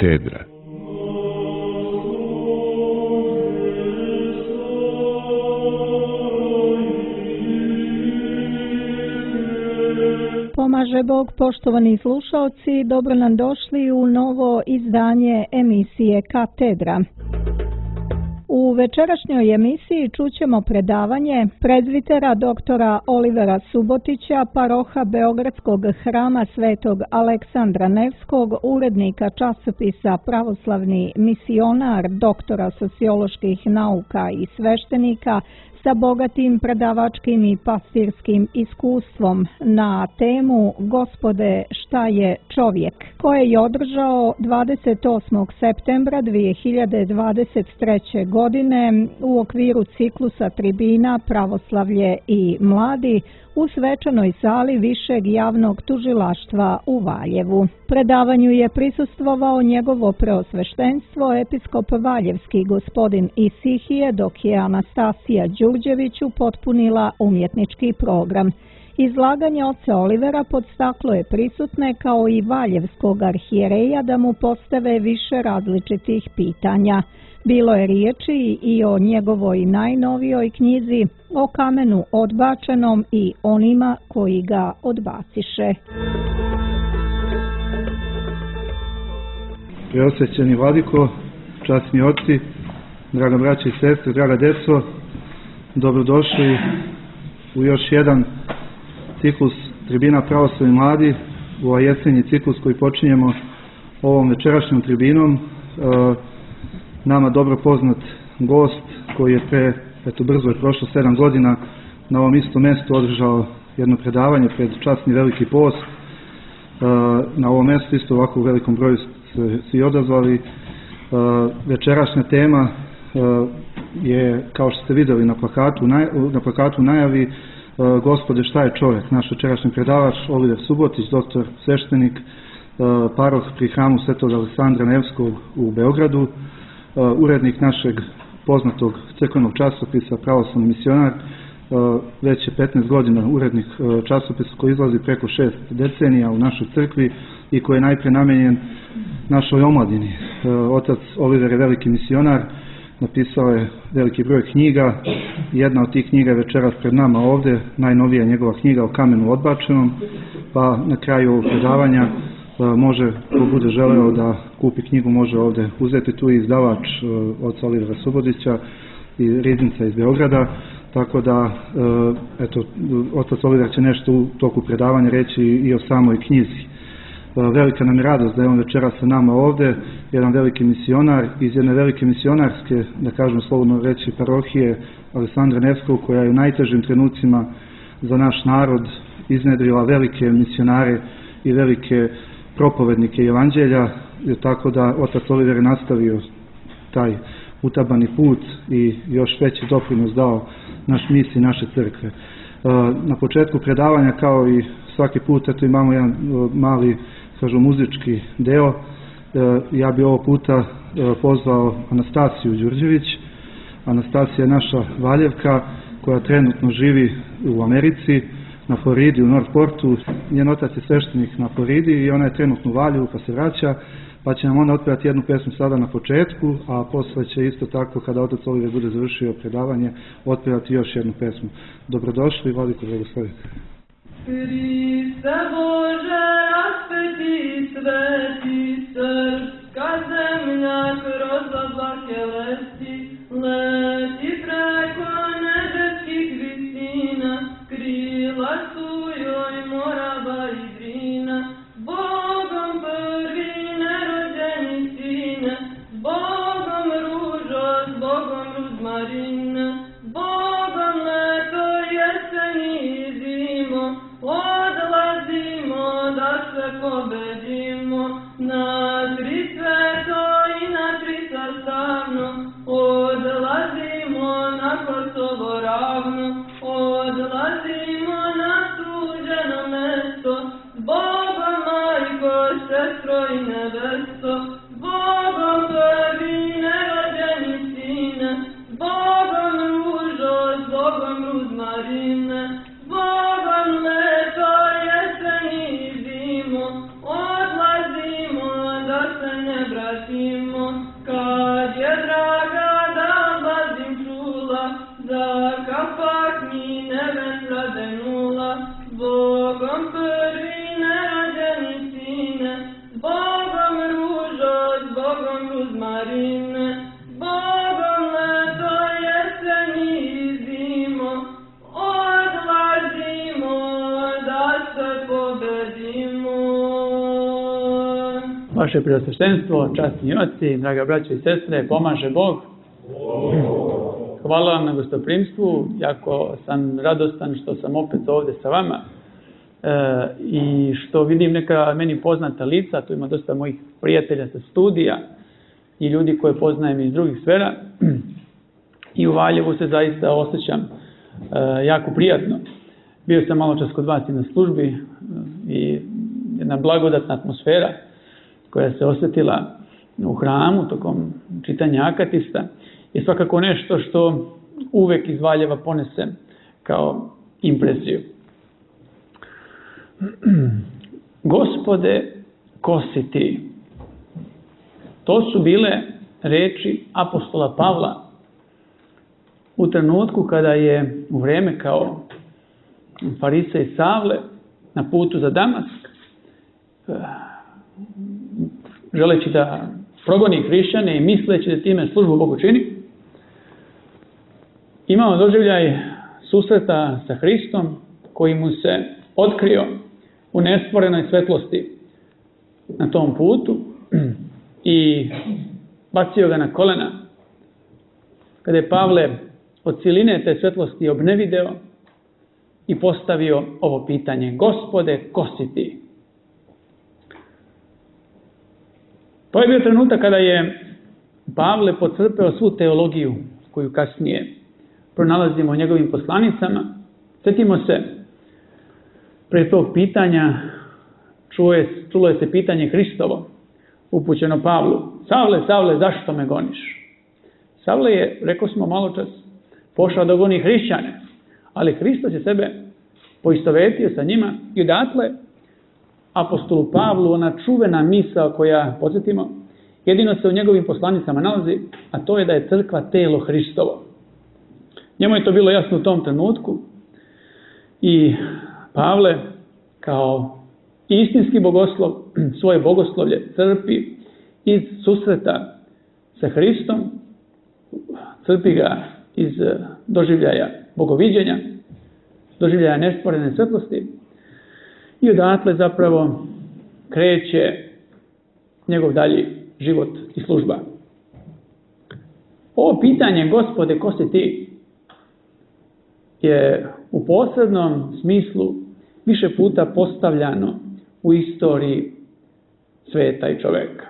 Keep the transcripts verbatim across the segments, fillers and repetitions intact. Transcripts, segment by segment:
Katedra. Pomaže Bog, poštovani slušalci, dobro nam došli u novo izdanje emisije Katedra. U večerašnjoj emisiji čućemo predavanje prezvitera doktora Olivera Subotića, paroha Beogradskog hrama Svetog Aleksandra Nevskog, urednika časopisa Pravoslavni misionar, doktora socioloških nauka i sveštenika, sa bogatim predavačkim i pastirskim iskustvom na temu Gospode, šta je čovjek, koje je održao dvadeset osmog septembra dvije hiljade dvadeset treće. godine u okviru ciklusa tribina Pravoslavlje i mladi u svečanoj sali Višeg javnog tužilaštva u Valjevu. Predavanju je prisustvovao njegovo preosveštenstvo episkop Valjevski gospodin Isihije, dok je Anastasija Đurđević upotpunila umjetnički program. Izlaganje oca Olivera podstaklo je prisutne kao i valjevskog arhijereja da mu postave više različitih pitanja. Bilo je riječi i o njegovoj najnovijoj knjizi, o kamenu odbačenom i onima koji ga odbaciše. Preosvećeni vladiko, časni oci, draga braća i sestre, draga deco, dobrodošli u još jedan ciklus tribina Pravoslavni mladi, u ovaj jesenji ciklus koji počinjemo ovom večerašnjom tribinom. Nama dobro poznat gost koji je pre, eto brzo je prošlo sedam godina, na ovom istom mjestu održao jedno predavanje pred časni veliki post. Na ovom mjestu isto ovako u velikom broju se svi odazvali. Večerašnja tema je, kao što ste vidjeli na plakatu, na plakatu najavi, Gospode, šta je čovjek? Naš večerašnji predavač Oliver Subotić, doktor sveštenik, paroh pri hramu Svetog Aleksandra Nevskog u Beogradu, urednik našeg poznatog crkvenog časopisa Pravoslavni misionar, već je petnaest godina urednik časopisa koji izlazi preko šest decenija u našoj crkvi i koji je najpre namenjen našoj omladini. Otac Oliver je veliki misionar, napisao je veliki broj knjiga. Jedna od tih knjiga je večeras pred nama ovdje, najnovija njegova knjiga o kamenu odbačenom, pa na kraju ovog predavanja može, ko bude želeo da kupi knjigu, može ovdje uzeti. Tu i izdavač oca Olivera Subotića i riznica iz Beograda, tako da eto, otac Oliver će nešto u toku predavanja reći i o samoj knjizi. Velika nam je radost da je on večera sa nama ovdje, jedan veliki misionar iz jedne velike misionarske, da kažem slobodno reći, parohije Aleksandra Nevskog, koja je u najtežim trenucima za naš narod iznedrila velike misionare i velike propovednike evanđelja, tako da otac Oliver je nastavio taj utabani put i još veći doprinos dao naš misiji naše crkve. Na početku predavanja, kao i svaki put, eto imamo jedan mali, kažu, muzički deo. Ja bi ovo puta pozvao Anastasiju Đurđević. Anastasija je naša Valjevka koja trenutno živi u Americi, na Floridi, u Northportu. Njen otac je sveštenik na Floridi i ona je trenutno u Valjevu pa se vraća, pa će nam onda otpevati jednu pesmu sada na početku, a posle će isto tako, kada otac Oliver bude završio predavanje, otpevati još jednu pesmu. Dobrodošli, vladiko, blagoslovite. Hriste Bože, raspeti sveti, srpska zemlja kroz oblake leti, leti preko nebeskih visina, krila su joj Morava i Drina, Bogom prvi nerođeni sine, Bogom ružo, s Bogom ruzmarina, Bogom leto, jesen i zimo, odlazimo da se pobedimo, na tri sveto i na tri sastavno, odlazimo na Kosovo ravno, odlazimo na suđeno mesto, s Bogom majko, sestro i nebesto, s Bogom prvi nerođeni sine, s Bogom ružo, s Bogom ruzmarine, s Bogom leto, jesen i zimo, odlazimo da se ne vratimo, kad je draga da bazim čula, za kapak mi neben radenula, Bogom prvi nerađeni sine, Bogom ružo, Bogom ruzmarine, Bogom leto, jesen i zimo, odlazimo da se pobedimo. Vaše preosveštenstvo, časni oci, draga braćo i sestre, pomaže Bog. Hvala vam na gostoprimstvu, jako sam radostan što sam opet ovdje sa vama e, i što vidim neka meni poznata lica, tu ima dosta mojih prijatelja sa studija i ljudi koje poznajem iz drugih sfera i u Valjevu se zaista osjećam e, jako prijatno. Bio sam malo čas kod vas i na službi e, i jedna blagodatna atmosfera koja se osjetila u hramu tokom čitanja akatista je svakako nešto što uvek iz Valjeva ponese kao impresiju. Gospode, ko si ti? To su bile reči apostola Pavla u trenutku kada je u vreme kao farisej Savle na putu za Damask, želeći da progoni hrišćane i misleći da time službu Bogu čini, imao doživljaj susreta sa Hristom koji mu se otkrio u nestvorenoj svetlosti na tom putu i bacio ga na kolena. Kada je Pavle od ciline te svetlosti obnevideo i postavio ovo pitanje: Gospode, ko si ti? To je bio trenutak kada je Pavle podcrpeo svu teologiju koju kasnije pronalazimo u njegovim poslanicama. Sjetimo se, pre tog pitanja čulo je, čulo je se pitanje Hristovo upućeno Pavlu: Savle, Savle, zašto me goniš? Savle je, rekao smo malo čas, pošao da goni hrišćane, ali Hristos je sebe poistovetio sa njima i odatle apostolu Pavlu ona čuvena misao koja, podsjetimo, jedino se u njegovim poslanicama nalazi, a to je da je crkva telo Hristovo. Njemu je to bilo jasno u tom trenutku i Pavle kao istinski bogoslov svoje bogoslovlje crpi iz susreta sa Hristom, crpi ga iz doživljaja bogoviđenja, doživljaja nestvorene svetlosti i odatle zapravo kreće njegov dalji život i služba. Ovo pitanje, Gospode, ko si ti, je u posebnom smislu više puta postavljano u istoriji sveta i čoveka.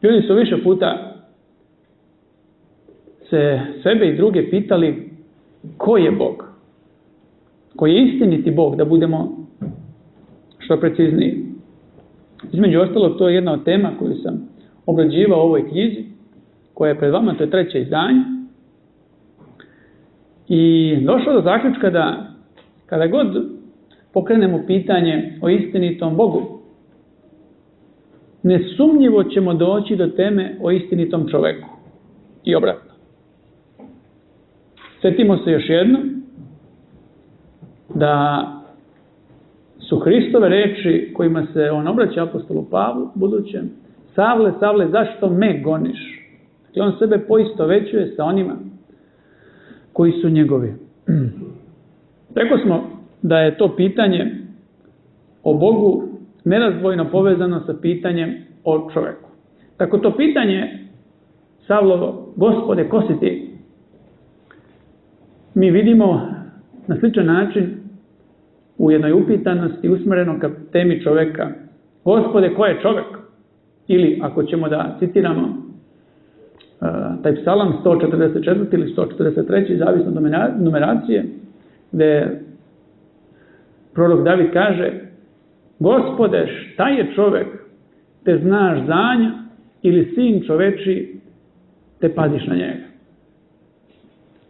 Ljudi su više puta se sebe i druge pitali ko je Bog, ko je istiniti Bog, da budemo što precizniji. Između ostalog, to je jedna od tema koju sam obrađivao u ovoj knjizi, koja je pred vama, to je treće izdanje. I došao do zaključka da kada god pokrenemo pitanje o istinitom Bogu, nesumnjivo ćemo doći do teme o istinitom čoveku. I obratno. Sjetimo se još jedno da su Hristove reči kojima se on obraća apostolu Pavlu budućem: Savle, Savle, zašto me goniš? I on sebe poistovećuje sa onima koji su njegovi. Rekao smo da je to pitanje o Bogu nerazdvojno povezano sa pitanjem o čoveku. Tako to pitanje Savlovo, Gospode, ko si ti? Mi vidimo na sličan način u jednoj upitanosti usmjereno ka temi čoveka: Gospode, ko je čovek? Ili, ako ćemo da citiramo uh, taj psalam sto četrdeset četvrti ili sto četrdeset treći, zavisno od numeracije, gde prorok David kaže: Gospode, šta je čovek, te znaš za nja, ili sin čoveči, te paziš na njega.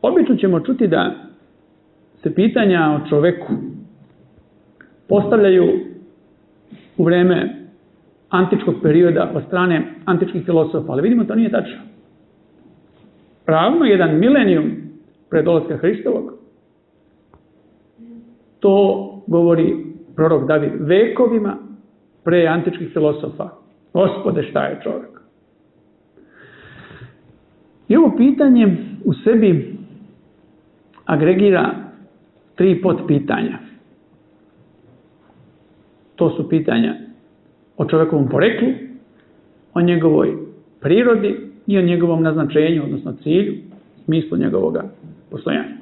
Obično ćemo čuti da se pitanja o čoveku postavljaju u vreme antičkog perioda od strane antičkih filosofa, ali vidimo to nije tačno. Ravno jedan milenijum pred dolaska Hristovog, to govori prorok David, vekovima pre antičkih filosofa. Gospode, šta je čovjek? I ovo pitanje u sebi agregira tri potpitanja. To su pitanja o čovjekovom poreklu, o njegovoj prirodi i o njegovom naznačenju, odnosno cilju, smislu njegovog postojanja.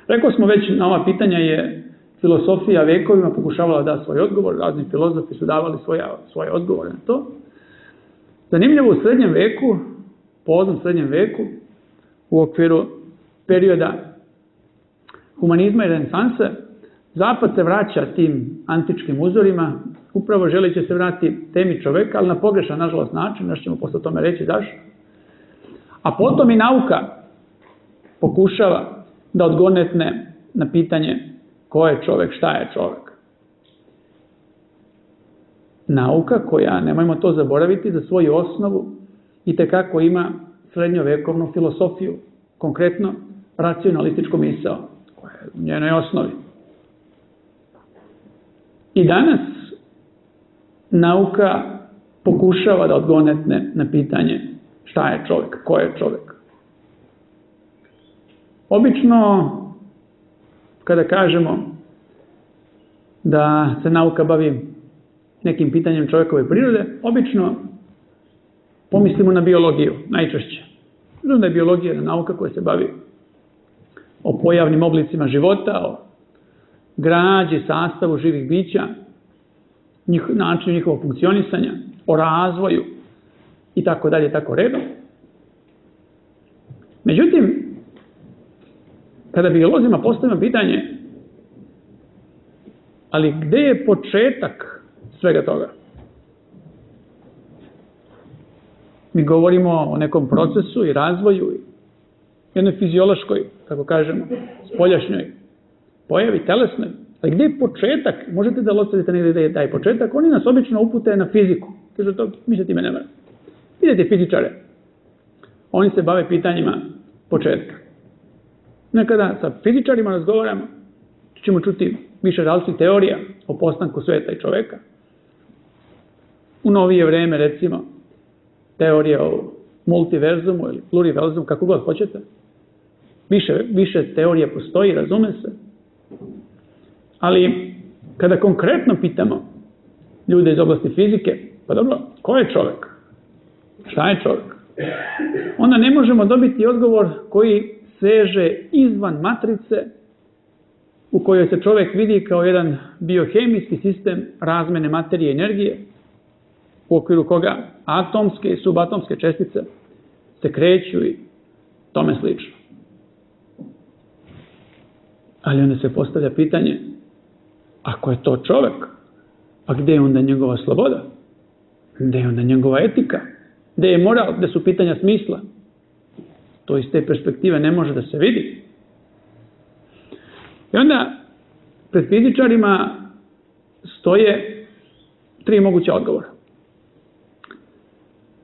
Rekao smo već, na ova pitanja je filosofija vekovima pokušavala da svoj odgovor, razni filozofi su davali svoja, svoje odgovore na to. Zanimljivo, u srednjem veku, poznom srednjem veku, u okviru perioda humanizma i renesanse, Zapad se vraća tim antičkim uzorima, upravo želeći se vratiti temi čoveka, ali na pogrešan, nažalost, način, nešto ćemo posle tome reći zašto. A potom i nauka pokušava da odgonetne na pitanje ko je čovek, šta je čovek. Nauka koja, nemojmo to zaboraviti, za svoju osnovu i tekako ima srednjovekovnu filosofiju, konkretno racionalističku misao, koja je u njenoj osnovi. I danas nauka pokušava da odgonetne na pitanje šta je čovjek, ko je čovjek. Obično, kada kažemo da se nauka bavi nekim pitanjem čovjekove prirode, obično pomislimo na biologiju, najčešće. Znam da je biologija jedna nauka koja se bavi o pojavnim oblicima života, o građi, sastavu živih bića, njih, načinu njihovog funkcionisanja, o razvoju i tako dalje, tako redom. Međutim, kada biolozima postavimo pitanje, ali gde je početak svega toga? Mi govorimo o nekom procesu i razvoju, jednoj fiziološkoj, kako kažemo, spoljašnjoj pojavi, telesnoj. Ali gde je početak? Možete da locavite negdje da je taj početak. Oni nas obično upute na fiziku. Kažu to, mi se time ne mora. Vidite fizičare. Oni se bave pitanjima početka. Nekada sa fizičarima razgovaramo, ćemo čuti više različitih teorija o postanku sveta i čoveka. U novije vreme, recimo, teorija o multiverzumu ili pluriverzumu, kako god hoćete. Više, više teorija postoji, razume se. Ali, kada konkretno pitamo ljude iz oblasti fizike, pa dobro, ko je čovjek? Šta je čovjek? Onda ne možemo dobiti odgovor koji seže izvan matrice u kojoj se čovjek vidi kao jedan biohemijski sistem razmene materije i energije, u okviru koga atomske i subatomske čestice se kreću i tome slično. Ali onda se postavlja pitanje, ako je to čovjek, a gde je onda njegova sloboda? Gde je onda njegova etika? Gde je moral? Gde su pitanja smisla? To iz te perspektive ne može da se vidi. I onda pred fizičarima stoje tri moguća odgovora.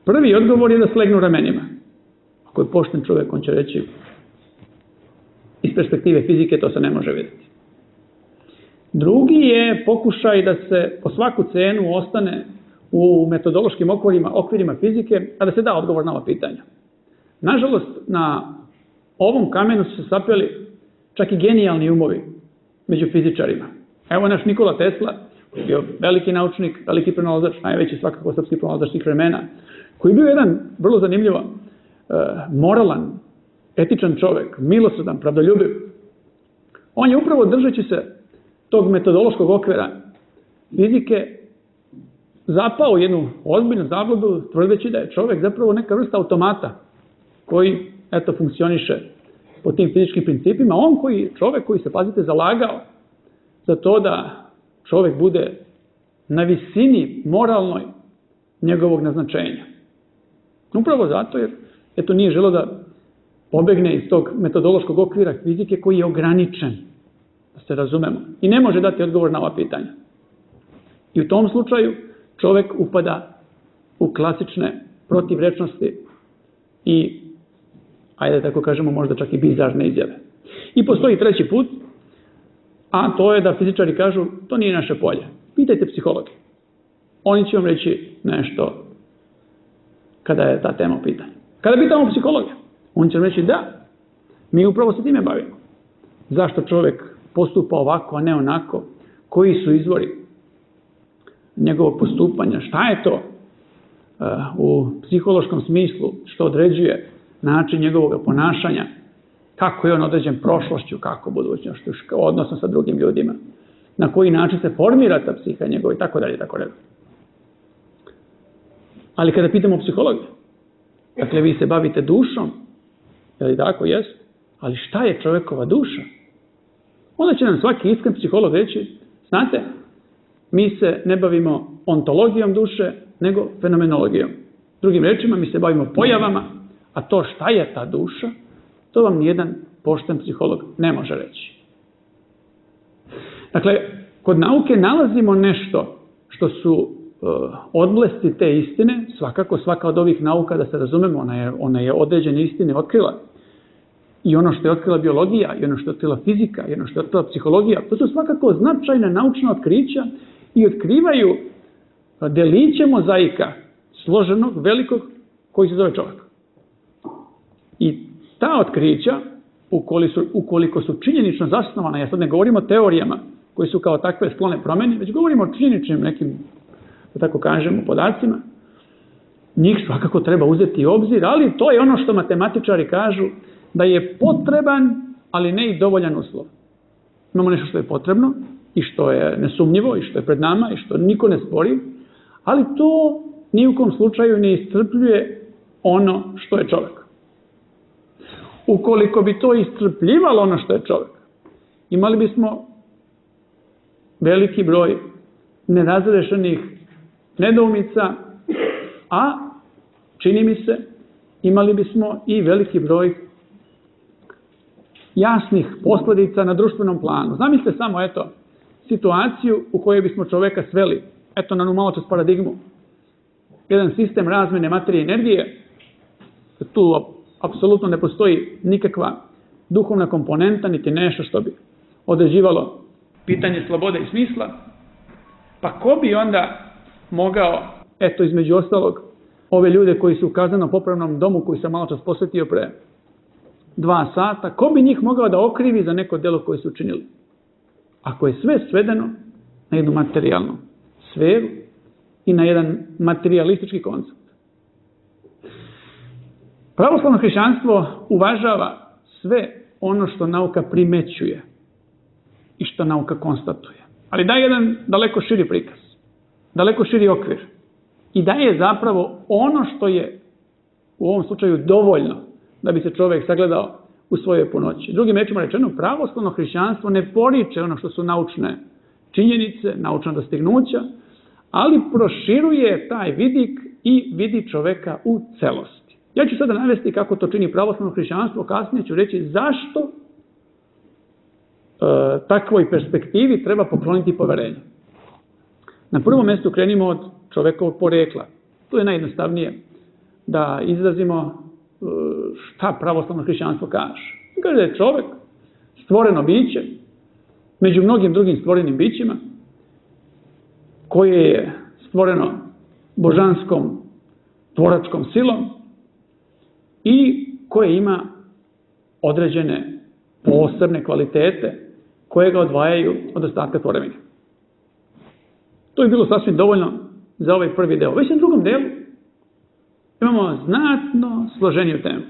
Prvi odgovor je da slegnu ramenima. Ako je pošten čovjek, on će reći iz perspektive fizike to se ne može vidjeti. Drugi je pokušaj da se po svaku cenu ostane u metodološkim okvirima, okvirima fizike, a da se da odgovor na ova pitanja. Nažalost, na ovom kamenu su se sapeli čak i genijalni umovi među fizičarima. Evo naš Nikola Tesla, koji je bio veliki naučnik, veliki pronalazač, najveći svakako srpski pronalazač svih vremena, koji je bio jedan vrlo zanimljivo moralan, etičan čovjek, milosrdan, pravdoljubiv. On je upravo držeći se tog metodološkog okvira fizike zapao u jednu ozbiljnu zabludu, tvrdeći da je čovjek zapravo neka vrsta automata koji, eto, funkcioniše po tim fizičkim principima. On koji, čovjek koji se, pazite, zalagao za to da čovjek bude na visini moralnoj njegovog naznačenja. Upravo zato jer, eto, nije želeo da pobegne iz tog metodološkog okvira fizike koji je ograničen, da se razumemo, i ne može dati odgovor na ova pitanja. I u tom slučaju čovjek upada u klasične protivrečnosti i, ajde tako kažemo, možda čak i bizarne izjave. I postoji treći put, a to je da fizičari kažu, to nije naše polje. Pitajte psihologe. Oni će vam reći nešto kada je ta tema u pitanju. Kada pitamo psihologa, on će vam reći da, mi upravo se time bavimo. Zašto čovjek postupa ovako, a ne onako? Koji su izvori njegovog postupanja? Šta je to uh, u psihološkom smislu što određuje način njegovog ponašanja? Kako je on određen prošlošću, kako budućnošću, odnosno sa drugim ljudima? Na koji način se formira ta psiha njegova i tako dalje, tako dalje. Ali kada pitamo psihologa, dakle vi se bavite dušom, je li tako? Jest. Ali šta je čovjekova duša? Onda će nam svaki iskren psiholog reći, znate, mi se ne bavimo ontologijom duše, nego fenomenologijom. Drugim rečima, mi se bavimo pojavama, a to šta je ta duša, to vam nijedan pošten psiholog ne može reći. Dakle, kod nauke nalazimo nešto što su uh, odblesti te istine, svakako svaka od ovih nauka, da se razumemo, ona je, ona je određene istine otkrila. I ono što je otkrila biologija, i ono što je otkrila fizika, i ono što je otkrila psihologija, to su svakako značajna naučna otkrića i otkrivaju deliće mozaika, složenog, velikog, koji se zove čovjek. I ta otkrića, ukoliko su, ukoliko su činjenično zasnovana, ja sad ne govorim o teorijama koji su kao takve sklone promjeni, već govorimo o činjeničnim nekim, da tako kažemo, podacima, njih svakako treba uzeti u obzir, ali to je ono što matematičari kažu, da je potreban, ali ne i dovoljan uslov. Imamo nešto što je potrebno i što je nesumnjivo i što je pred nama i što niko ne spori, ali to ni u kom slučaju ne iscrpljuje ono što je čovjek. Ukoliko bi to iscrpljivalo ono što je čovjek, imali bismo veliki broj nerazrešenih nedoumica, a čini mi se imali bismo i veliki broj jasnih posljedica na društvenom planu. Zamislite samo, eto, situaciju u kojoj bismo čovjeka sveli, eto, na malo čas paradigmu. Jedan sistem razmjene materije i energije, tu apsolutno ne postoji nikakva duhovna komponenta, niti nešto što bi određivalo pitanje slobode i smisla. Pa ko bi onda mogao, eto, između ostalog, ove ljude koji su u kazneno-popravnom domu, koji sam malo čas posvetio pre dva sata, ko bi njih mogao da okrivi za neko delo koje su učinili? Ako je sve svedeno na jednu materijalnu sferu i na jedan materialistički koncept. Pravoslavno hrišćanstvo uvažava sve ono što nauka primećuje i što nauka konstatuje. Ali daje jedan daleko širi prikaz, daleko širi okvir i daje zapravo ono što je u ovom slučaju dovoljno da bi se čovjek sagledao u svojoj punoći. Drugim rečima rečeno, pravoslavno hrišćanstvo ne poriče ono što su naučne činjenice, naučna dostignuća, ali proširuje taj vidik i vidi čovjeka u celosti. Ja ću sada navesti kako to čini pravoslavno hrišćanstvo, kasnije ću reći zašto e, takvoj perspektivi treba pokloniti poverenje. Na prvom mjestu krenimo od čovjekovog porekla. Tu je najjednostavnije da izrazimo šta pravoslavno hrišćanstvo kaže. Kaže da je čovjek stvoreno biće među mnogim drugim stvorenim bićima koje je stvoreno božanskom tvoračkom silom i koje ima određene posebne kvalitete koje ga odvajaju od ostatka tvorevine. To je bilo sasvim dovoljno za ovaj prvi deo. Već na drugom delu imamo znatno složeniju temu.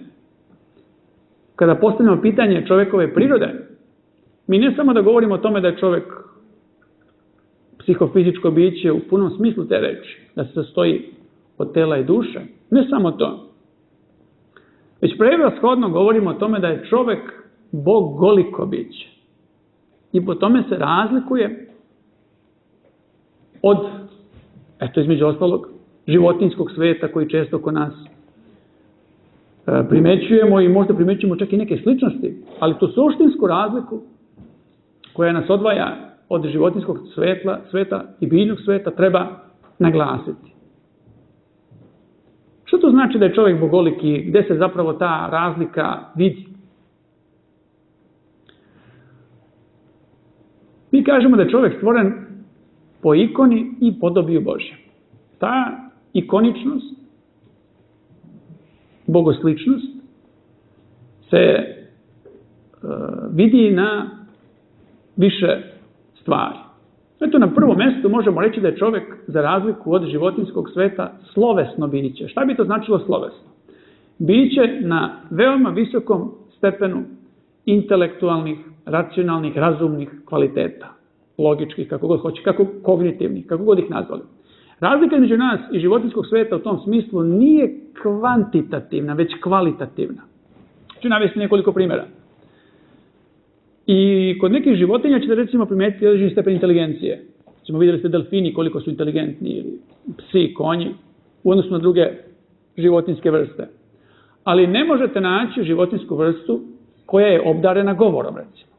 Kada postavljamo pitanje čovjekove prirode, mi ne samo da govorimo o tome da je čovjek psihofizičko biće u punom smislu te reči, da se sastoji od tela i duše, ne samo to. Već prevashodno govorimo o tome da je čovjek bogoliko biće. I po tome se razlikuje od, eto između ostalog, životinjskog sveta koji često kod nas e, primećujemo i možda primećujemo čak i neke sličnosti, ali tu suštinsku razliku koja nas odvaja od životinjskog sveta, sveta i biljnog sveta treba naglasiti. Što to znači da je čovjek bogoliki, gdje se zapravo ta razlika vidi? Mi kažemo da je čovjek stvoren po ikoni i podobiju Božjem. Ta ikoničnost, bogosličnost, se e, vidi na više stvari. Eto, na prvom mjestu možemo reći da je čovjek, za razliku od životinjskog sveta, slovesno biće. Šta bi to značilo slovesno? Biće na veoma visokom stepenu intelektualnih, racionalnih, razumnih kvaliteta. Logičkih, kako god hoće, kako kognitivnih, kako god ih nazvali. Razlika između nas i životinjskog sveta u tom smislu nije kvantitativna, već kvalitativna. Ću navesti nekoliko primjera. I kod nekih životinja ćete recimo primijetiti određeni stepen inteligencije. Ćemo vidjeli ste delfini koliko su inteligentni, ili psi, konji, u odnosu na druge životinjske vrste. Ali ne možete naći životinjsku vrstu koja je obdarena govorom, recimo.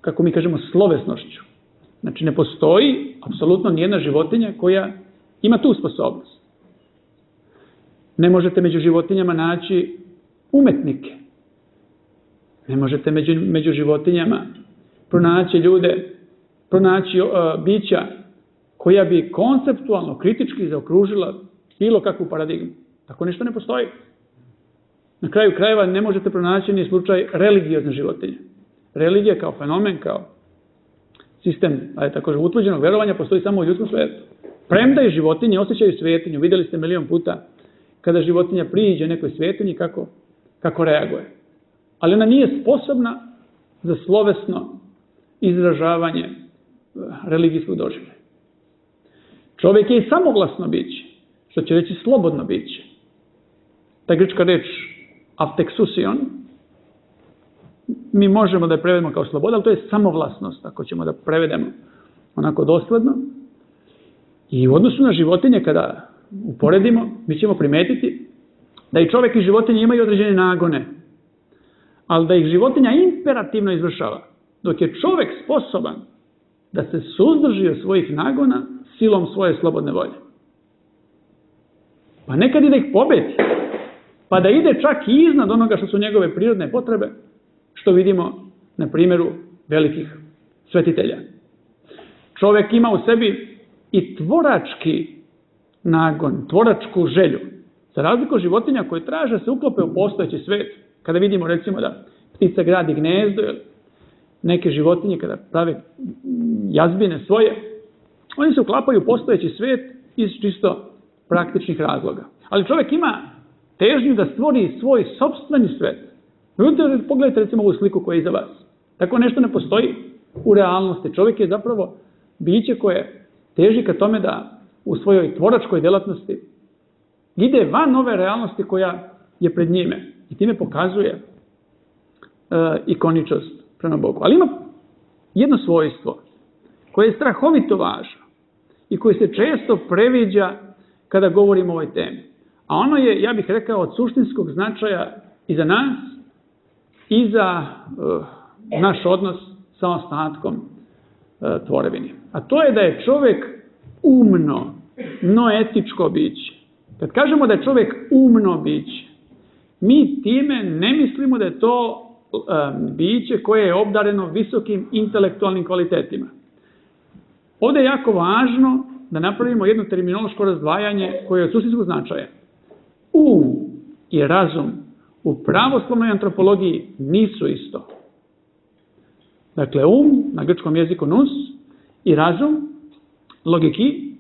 Kako mi kažemo, slovesnošću. Znači, ne postoji apsolutno nijedna životinja koja ima tu sposobnost. Ne možete među životinjama naći umetnike. Ne možete među, među životinjama pronaći ljude, pronaći uh, bića koja bi konceptualno, kritički zaokružila bilo kakvu paradigmu. Tako ništa ne postoji. Na kraju krajeva ne možete pronaći ni slučaj religiozne životinje. Religija kao fenomen, kao sistem, ali također utvrđenog verovanja, postoji samo u ljudskom svijetu. Premda i životinje osjećaju svetinju. Vidjeli ste milion puta kada životinja priđe nekoj svetinji kako, kako reaguje. Ali ona nije sposobna za slovesno izražavanje religijskog doživljaja. Čovjek je i samoglasno biće, što će reći slobodno biće. Ta grčka reč afteksusion, mi možemo da je prevedemo kao sloboda, ali to je samovlasnost, ako ćemo da prevedemo onako dosledno. I u odnosu na životinje, kada uporedimo, mi ćemo primetiti da i čovjek i životinje imaju određene nagone, ali da ih životinja imperativno izvršava, dok je čovjek sposoban da se suzdrži od svojih nagona silom svoje slobodne volje. Pa nekad i da ih pobedi, pa da ide čak i iznad onoga što su njegove prirodne potrebe, što vidimo na primjeru velikih svetitelja. Čovjek ima u sebi i tvorački nagon, tvoračku želju. Za razliku od životinja koje traže se uklope u postojeći svijet. Kada vidimo recimo da ptica gradi gnezdo ili neke životinje kada prave jazbine svoje, oni se uklapaju u postojeći svijet iz čisto praktičnih razloga. Ali čovjek ima težnju da stvori svoj sopstveni svijet. Pogledajte recimo ovu sliku koja je iza vas. Tako nešto ne postoji u realnosti. Čovjek je zapravo biće koje teži ka tome da u svojoj tvoračkoj djelatnosti ide van ove realnosti koja je pred njime. I time pokazuje e, ikoničnost prema Bogu. Ali ima jedno svojstvo koje je strahovito važno i koje se često previđa kada govorimo o ovoj temi. A ono je, ja bih rekao, od suštinskog značaja i za nas i za e, naš odnos sa ostatkom e, tvorevine. A to je da je čovjek umno, noetičko biće. Kad kažemo da je čovjek umno biće, mi time ne mislimo da je to um, biće koje je obdareno visokim intelektualnim kvalitetima. Ovdje je jako važno da napravimo jedno terminološko razdvajanje koje je od suštinskog značaja. Um i razum u pravoslavnoj antropologiji nisu isto. Dakle, um, na grčkom jeziku nous, i razum, logiki,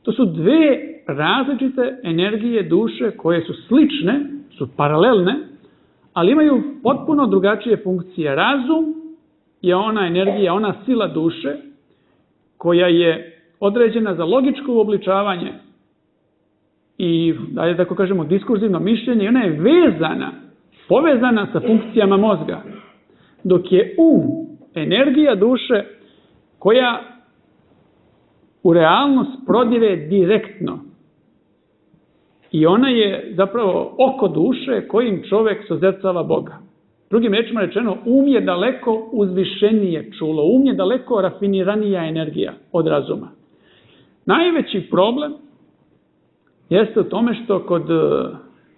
to su dve različite energije duše koje su slične, su paralelne, ali imaju potpuno drugačije funkcije. Razum je ona energija, ona sila duše koja je određena za logičko uobličavanje i, da tako kažemo, diskurzivno mišljenje, i ona je vezana, povezana sa funkcijama mozga. Dok je um energija duše koja u realnost prodire direktno. I ona je zapravo oko duše kojim čovjek sozercava Boga. Drugim rečima rečeno, um je daleko uzvišenije čulo, um je daleko rafiniranija energija od razuma. Najveći problem jeste u tome što kod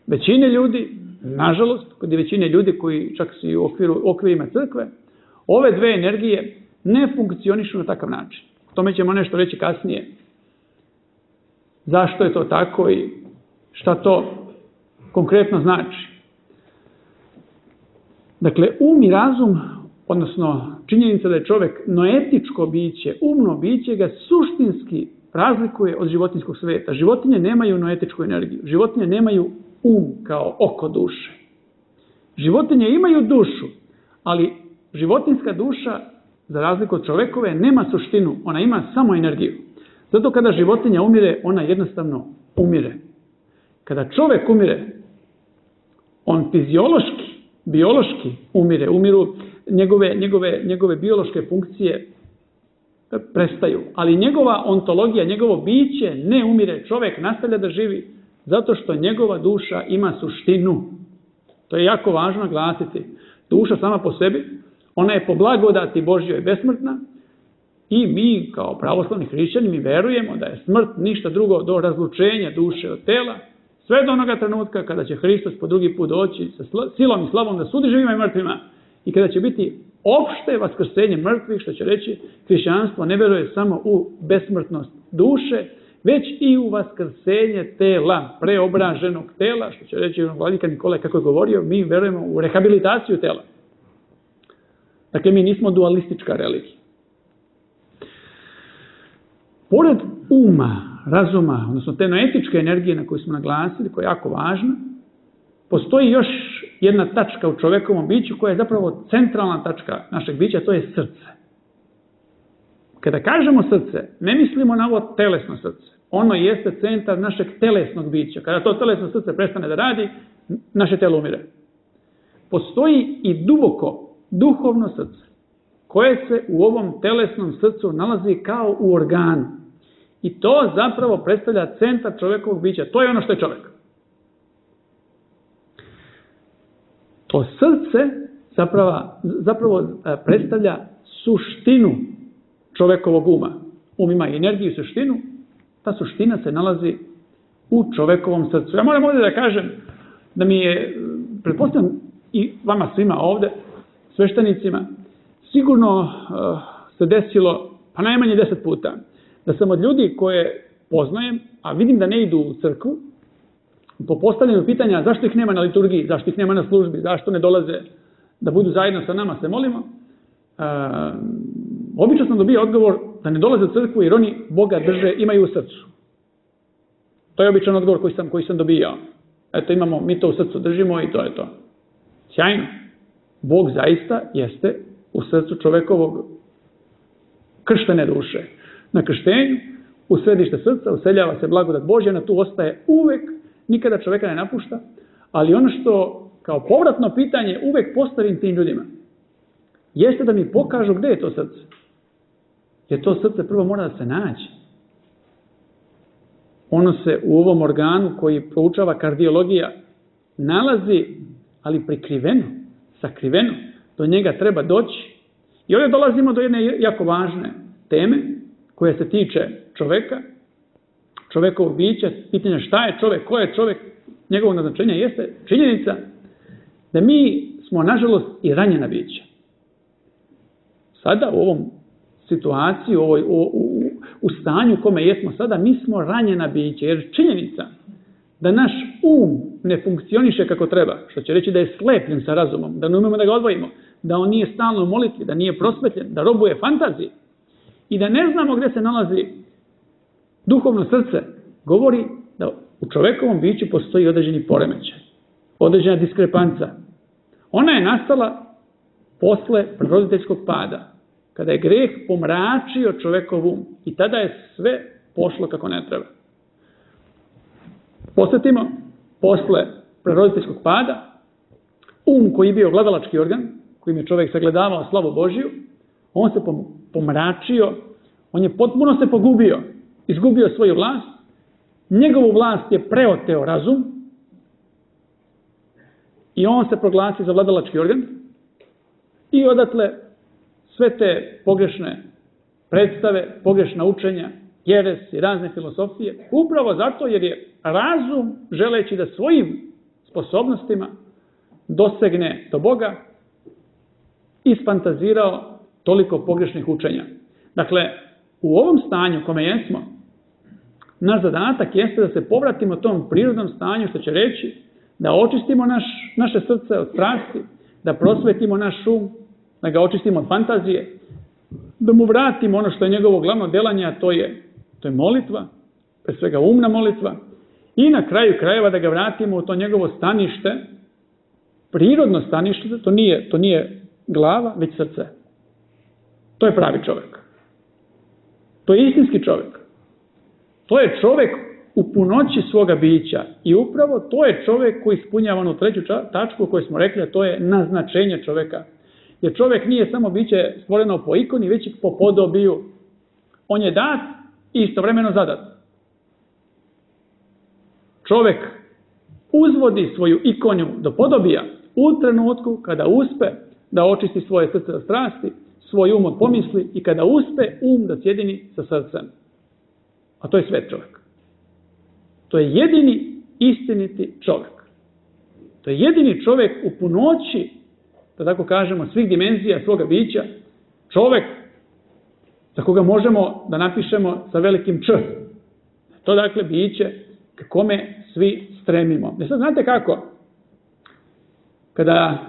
većine ljudi, nažalost, kod većine ljudi koji čak su i u okviru, okvirima crkve, ove dve energije ne funkcionišu na takav način. O tome ćemo nešto reći kasnije. Zašto je to tako i šta to konkretno znači. Dakle, um i razum, odnosno činjenica da je čovjek noetičko biće, umno biće, ga suštinski razlikuje od životinjskog sveta. Životinje nemaju noetičku energiju. Životinje nemaju um kao oko duše. Životinje imaju dušu, ali životinjska duša, za razliku od čovjekove, nema suštinu. Ona ima samo energiju. Zato kada životinja umire, ona jednostavno umire. Kada čovjek umire, on fiziološki, biološki umire. Umiru njegove, njegove, njegove biološke funkcije prestaju. Ali njegova ontologija, njegovo biće ne umire. Čovjek nastavlja da živi zato što njegova duša ima suštinu. To je jako važno naglasiti. Duša sama po sebi, ona je po blagodati Božjoj besmrtna i mi kao pravoslavni hrišćani mi verujemo da je smrt ništa drugo do razlučenja duše od tela, sve do onoga trenutka kada će Hristos po drugi put doći sa silom i slavom da sudi živima i mrtvima i kada će biti opšte vaskrsenje mrtvih, što će reći hrišćanstvo ne veruje samo u besmrtnost duše, već i u vaskrsenje tela, preobraženog tela, što će reći vladika Nikolaj kako je govorio, mi verujemo u rehabilitaciju tela. Dakle, mi nismo dualistička religija. Pored uma, razuma, odnosno te noetičke energije na koju smo naglasili, koja je jako važna, postoji još jedna tačka u čovjekovom biću koja je zapravo centralna tačka našeg bića, to je srce. Kada kažemo srce, ne mislimo na ovo telesno srce. Ono jeste centar našeg telesnog bića. Kada to telesno srce prestane da radi, naše telo umire. Postoji i duboko duhovno srce, koje se u ovom telesnom srcu nalazi kao u organu. I to zapravo predstavlja centar čovjekovog bića. To je ono što je čovjek. To srce zapravo, zapravo predstavlja suštinu čovjekovog uma. Um ima energiju i suštinu. Ta suština se nalazi u čovjekovom srcu. Ja moram ovdje da kažem da mi je, pretpostavljam i vama svima ovdje, sveštenicima, sigurno uh, se desilo, pa najmanje deset puta, da sam od ljudi koje poznajem, a vidim da ne idu u crkvu, po postavljanju pitanja zašto ih nema na liturgiji, zašto ih nema na službi, zašto ne dolaze da budu zajedno sa nama, se molimo, uh, obično sam dobio odgovor da ne dolaze u crkvu jer oni Boga drže, imaju u srcu. To je običan odgovor koji sam, koji sam dobijao. Eto, imamo, mi to u srcu držimo i to je to. Sjajno. Bog zaista jeste u srcu čovjekovog krštene duše. Na krštenju, u središte srca, useljava se blagodat Božja, na tu ostaje uvek, nikada čovjeka ne napušta, ali ono što kao povratno pitanje uvek postavim tim ljudima, jeste da mi pokažu gdje je to srce. Jer to srce prvo mora da se nađe. Ono se u ovom organu koji proučava kardiologija nalazi, ali prikriveno, sakriveno. Do njega treba doći. I ovdje dolazimo do jedne jako važne teme koja se tiče čovjeka, čovjekovog bića, pitanja šta je čovjek, ko je čovjek, njegovog naznačenja jeste činjenica da mi smo nažalost i ranjena bića. Sada u ovom situaciji, u, ovoj, u, u, u stanju u kome jesmo sada, mi smo ranjena bića, jer činjenica da naš um ne funkcioniše kako treba, što će reći da je slepljen sa razumom, da ne umemo da ga odvojimo, da on nije stalno u molitvi, da nije prosvetljen, da robuje fantaziji i da ne znamo gdje se nalazi duhovno srce, govori da u čovjekovom biću postoji određeni poremećaj, određena diskrepanca. Ona je nastala posle roditeljskog pada, kada je greh pomračio čovjekov um i tada je sve pošlo kako ne treba. Posjetimo, posle roditeljskog pada, um koji je bio gledalački organ, kojim je čovjek sagledavao slavu Božju, on se pomračio, on je potpuno se pogubio, izgubio svoju vlast, njegovu vlast je preoteo razum i on se proglasi za vladalački organ i odatle sve te pogrešne predstave, pogrešna učenja, jeres i razne filosofije, upravo zato jer je razum, želeći da svojim sposobnostima dosegne do Boga, isfantazirao toliko pogrešnih učenja. Dakle, u ovom stanju kome jesmo, naš zadatak jeste da se povratimo tom prirodnom stanju, što će reći da očistimo naš, naše srce od strasti, da prosvetimo naš um, da ga očistimo od fantazije, da mu vratimo ono što je njegovo glavno delanje, a to je, to je molitva, pre svega umna molitva, i na kraju krajeva da ga vratimo u to njegovo stanište, prirodno stanište, to nije, to nije glava, već srce. To je pravi čovjek. To je istinski čovjek. To je čovjek u punoći svoga bića i upravo to je čovjek koji ispunjava onu treću tačku koju smo rekli, a to je naznačenje čovjeka. Jer čovjek nije samo biće stvoreno po ikoni, već i po podobiju. On je dat i istovremeno zadat. Čovjek uzvodi svoju ikonju do podobija u trenutku kada uspe da očisti svoje srce od strasti, svoj um od pomisli i kada uspe um da sjedini sa srcem. A to je svet čovjek. To je jedini istiniti čovjek. To je jedini čovjek u punoći, da tako kažemo, svih dimenzija svoga bića. Čovjek za koga možemo da napišemo sa velikim Č. To dakle biće k kome svi stremimo. Ne sad znate kako? Kada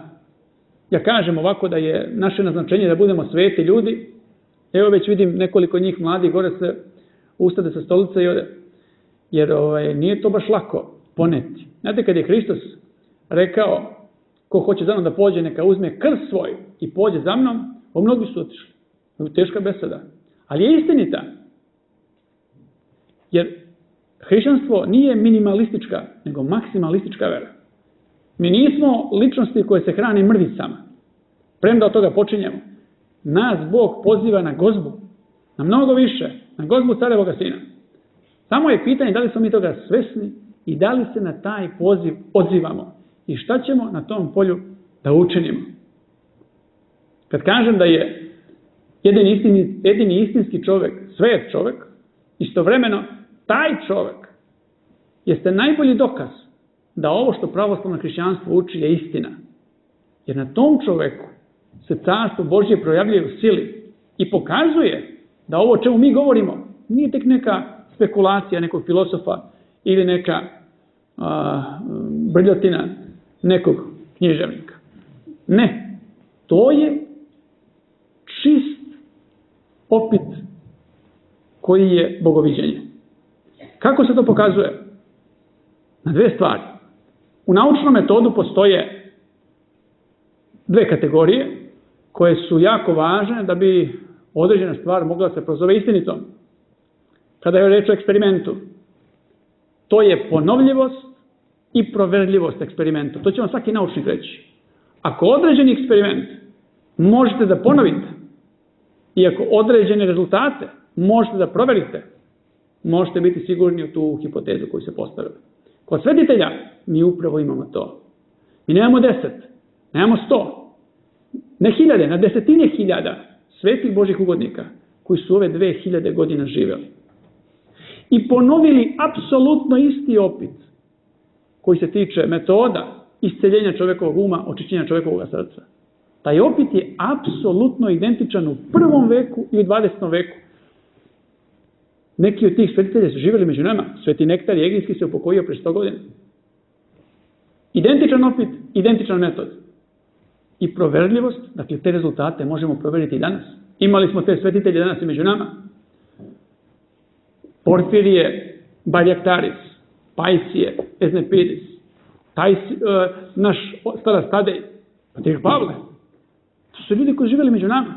ja kažem ovako da je naše naznačenje da budemo sveti ljudi, evo već vidim nekoliko njih mladih gore se ustade sa stolice i ode. Jer ovaj, nije to baš lako poneti. Znate, kad je Hristos rekao ko hoće za mnom da pođe, neka uzme krst svoj i pođe za mnom, o mnogi su otišli. Teška beseda. Ali je istinita. Jer hrišćanstvo nije minimalistička, nego maksimalistička vera. Mi nismo ličnosti koje se hrane mrvicama. Premda od toga počinjemo. Nas Bog poziva na gozbu. Na mnogo više. Na gozbu carevoga sina. Samo je pitanje da li smo mi toga svesni i da li se na taj poziv odzivamo. I šta ćemo na tom polju da učinimo. Kad kažem da je jedini, istini, jedini istinski čovjek, svet čovjek, istovremeno taj čovjek jeste najbolji dokaz da ovo što pravoslavno hrišćanstvo uči je istina. Jer na tom čovjeku se carstvo Božje projavljuje u sili i pokazuje da ovo o čemu mi govorimo nije tek neka spekulacija nekog filosofa ili neka a, brljotina nekog književnika. Ne. To je čist opit koji je bogoviđenje. Kako se to pokazuje? Na dve stvari. U naučnom metodu postoje dve kategorije koje su jako važne da bi određena stvar mogla da se prozove istinitom. Kada je reč o eksperimentu, to je ponovljivost i proverljivost eksperimenta. To će vam svaki naučnik reći. Ako određeni eksperiment možete da ponovite i ako određene rezultate možete da proverite, možete biti sigurni u tu hipotezu koju se postavili. Kod svetitelja mi upravo imamo to. Mi nemamo deset, nemamo sto, ne hiljade, na desetine hiljada svetih Božih ugodnika koji su ove dve hiljade godina živeli. I ponovili apsolutno isti opit koji se tiče metoda isceljenja čovjekovog uma, očišćenja čovjekovog srca. Taj opit je apsolutno identičan u prvom veku i u dvadesetom veku. Neki od tih svetitelja su živjeli među nama. Sveti Nektar Egejski se upokojio pre sto godina. Identičan opit, identičan metod. I proverljivost, dakle te rezultate možemo proveriti i danas. Imali smo te svetitelje danas i među nama. Porfirije, Baljaktaris, Pajsije, Eznepidis, taj, uh, naš stara Stadej, Patriarh Pavle. To su ljudi koji živjeli među nama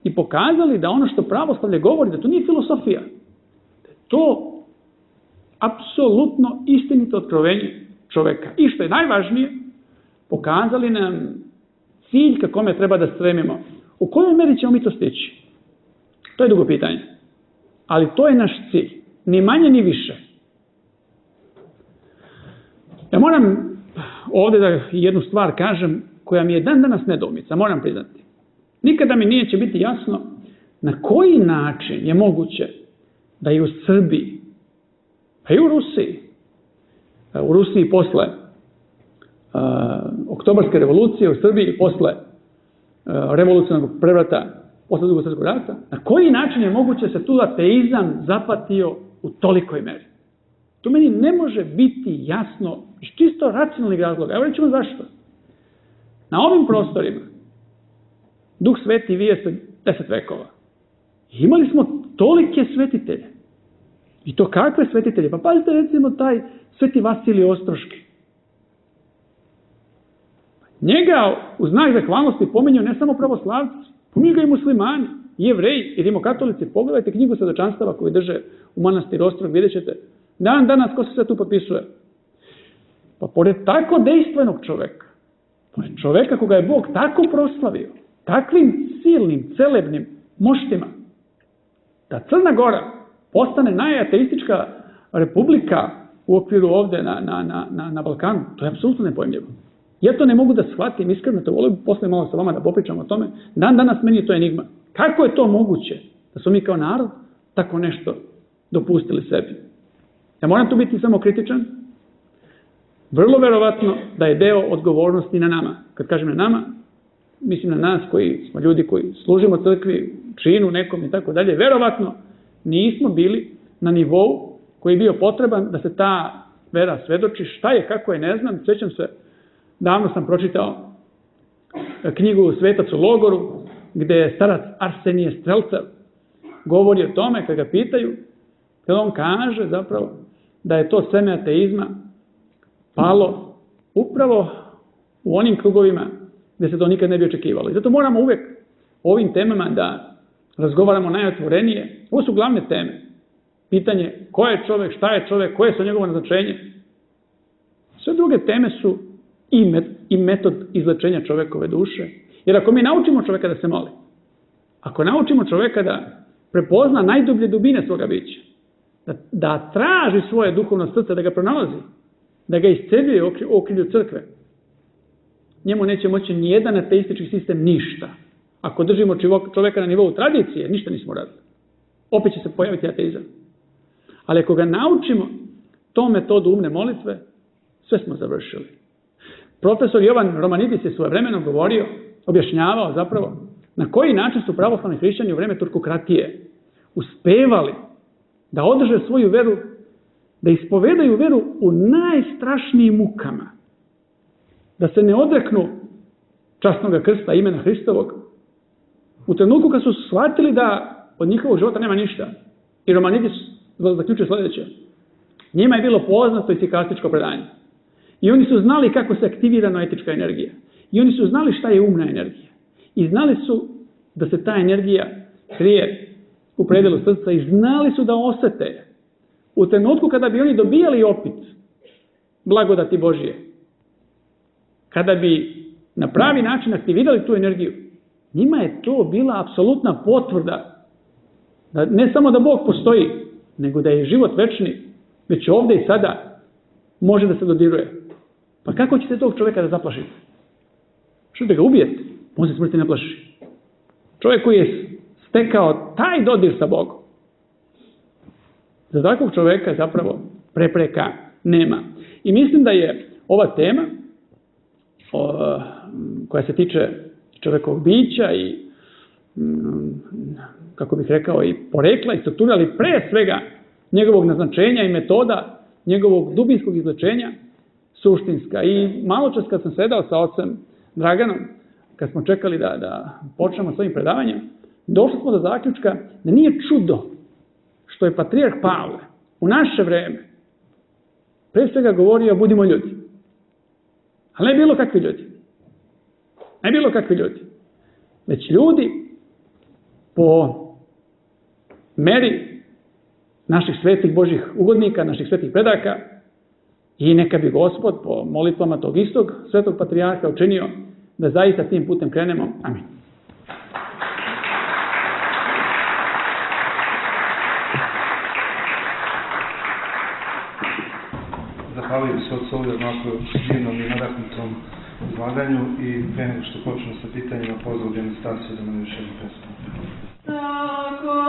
i pokazali da ono što pravoslavlje govori, da to nije filosofija. Da je to apsolutno istinito otkrovenje čoveka. I što je najvažnije, pokazali nam cilj ka kome treba da stremimo. U kojoj meri ćemo mi to stići? To je dugo pitanje. Ali to je naš cilj. Ni manje, ni više. Ja moram ovdje da jednu stvar kažem koja mi je dan danas nedoumica, moram priznati. Nikada mi nije će biti jasno na koji način je moguće da i u Srbiji, pa i u Rusiji, u Rusiji posle uh, Oktobarske revolucije, u Srbiji posle uh, revolucionarnog prevrata posle Drugog svjetskog rata, na koji način je moguće se tu ateizam zapatio u tolikoj meri? To meni ne može biti jasno iz čisto racionalnih razloga. Evo rećemo zašto. Na ovim prostorima Duh Sveti vije se deset vekova. I imali smo tolike svetitelje. I to kakve svetitelje? Pa pazite recimo taj Sveti Vasilij Ostroški. Njega u znak zahvalnosti pominju ne samo pravoslavci, pominju ga i muslimani, i jevreji, i rimokatolici. Pogledajte knjigu svedočanstava koju drže u manastiru Ostrog, vidjet ćete. Dan danas ko se sve tu potpisuje? Pa pored tako dejstvenog čoveka, pored čoveka koga je Bog tako proslavio, takvim silnim, celebnim moštima, da Crna Gora postane najateistička republika u okviru ovde na, na, na, na, na Balkanu, to je apsolutno nepojmljivo. Ja to ne mogu da shvatim, iskreno to volim posle malo sa vama da popričam o tome. Dan danas meni je to enigma. Kako je to moguće da smo mi kao narod tako nešto dopustili sebi? Ja moram tu biti samo kritičan. Vrlo verovatno da je deo odgovornosti na nama. Kad kažem na nama, mislim na nas koji smo ljudi koji služimo crkvi, činu nekom i tako dalje. Verovatno nismo bili na nivou koji je bio potreban da se ta vera svedoči. Šta je, kako je, ne znam. Sjećam se, davno sam pročitao knjigu Svetac u logoru, gde je starac Arsenije Strelcev govori o tome, kad ga pitaju, kada on kaže zapravo da je to seme ateizma palo upravo u onim krugovima gde se to nikad ne bi očekivalo. I zato moramo uvek o ovim temama da razgovaramo najotvorenije. Ovo su glavne teme. Pitanje ko je čovek, šta je čovek, koje je sa njegovo naznačenje. Sve druge teme su i, met, i metod izlečenja čovekove duše. Jer ako mi naučimo čoveka da se moli, ako naučimo čoveka da prepozna najdublje dubine svoga bića, da, da traži svoje duhovno srce, da ga pronalazi, da ga isceljuje u okrilju crkve, njemu neće moći nijedan ateistički sistem ništa. Ako držimo čoveka na nivou tradicije, ništa nismo radili. Opet će se pojaviti ateizam. Ali ako ga naučimo tom metodu umne molitve, sve smo završili. Profesor Jovan Romanidis je svojevremeno govorio, objašnjavao zapravo na koji način su pravoslavni hrišćani u vreme turkokratije uspevali da održe svoju veru, da ispovedaju veru u najstrašnijim mukama, da se ne odreknu časnog krsta imena Hristovog, u trenutku kad su shvatili da od njihovog života nema ništa. I Romanidis zaključuje sljedeće. Njima je bilo poznato icikastičko predanje. I oni su znali kako se aktivira noetička energija. I oni su znali šta je umna energija. I znali su da se ta energija krije u predelu srca i znali su da osete u trenutku kada bi oni dobijali opit blagodati Božije, kada bi na pravi način aktivirali tu energiju, njima je to bila apsolutna potvrda da ne samo da Bog postoji, nego da je život večni, već ovdje i sada može da se dodiruje. Pa kako ćete tog čovjeka da zaplašite? Što da ga ubijete? On se smrti ne plaši. Čovjek koji je stekao taj dodir sa Bogom. Za takvog čovjeka zapravo prepreka nema. I mislim da je ova tema o, koja se tiče čovjekovog bića i kako bih rekao i porekla i struktura, ali pre svega njegovog naznačenja i metoda njegovog dubinskog izlečenja suštinska. I malo čas kad sam sedao sa ocem Draganom, kad smo čekali da, da počnemo s ovim predavanjem, došli smo do zaključka da nije čudo što je patrijarh Pavle u naše vreme pre svega govorio budimo ljudi. Ali ne bilo kakvi ljudi. Ne bilo kakvi ljudi. Već ljudi po meri naših svetih Božih ugodnika, naših svetih predaka i neka bi Gospod po molitvama tog istog svetog patrijarha učinio da zaista tim putem krenemo. Amin. Zahvaljujem se od ovdje onako divnom i nadahnutom izlaganju i pre nego što počnemo sa pitanjima pozvao Anastasiju da nam još jednu pesmu. Tako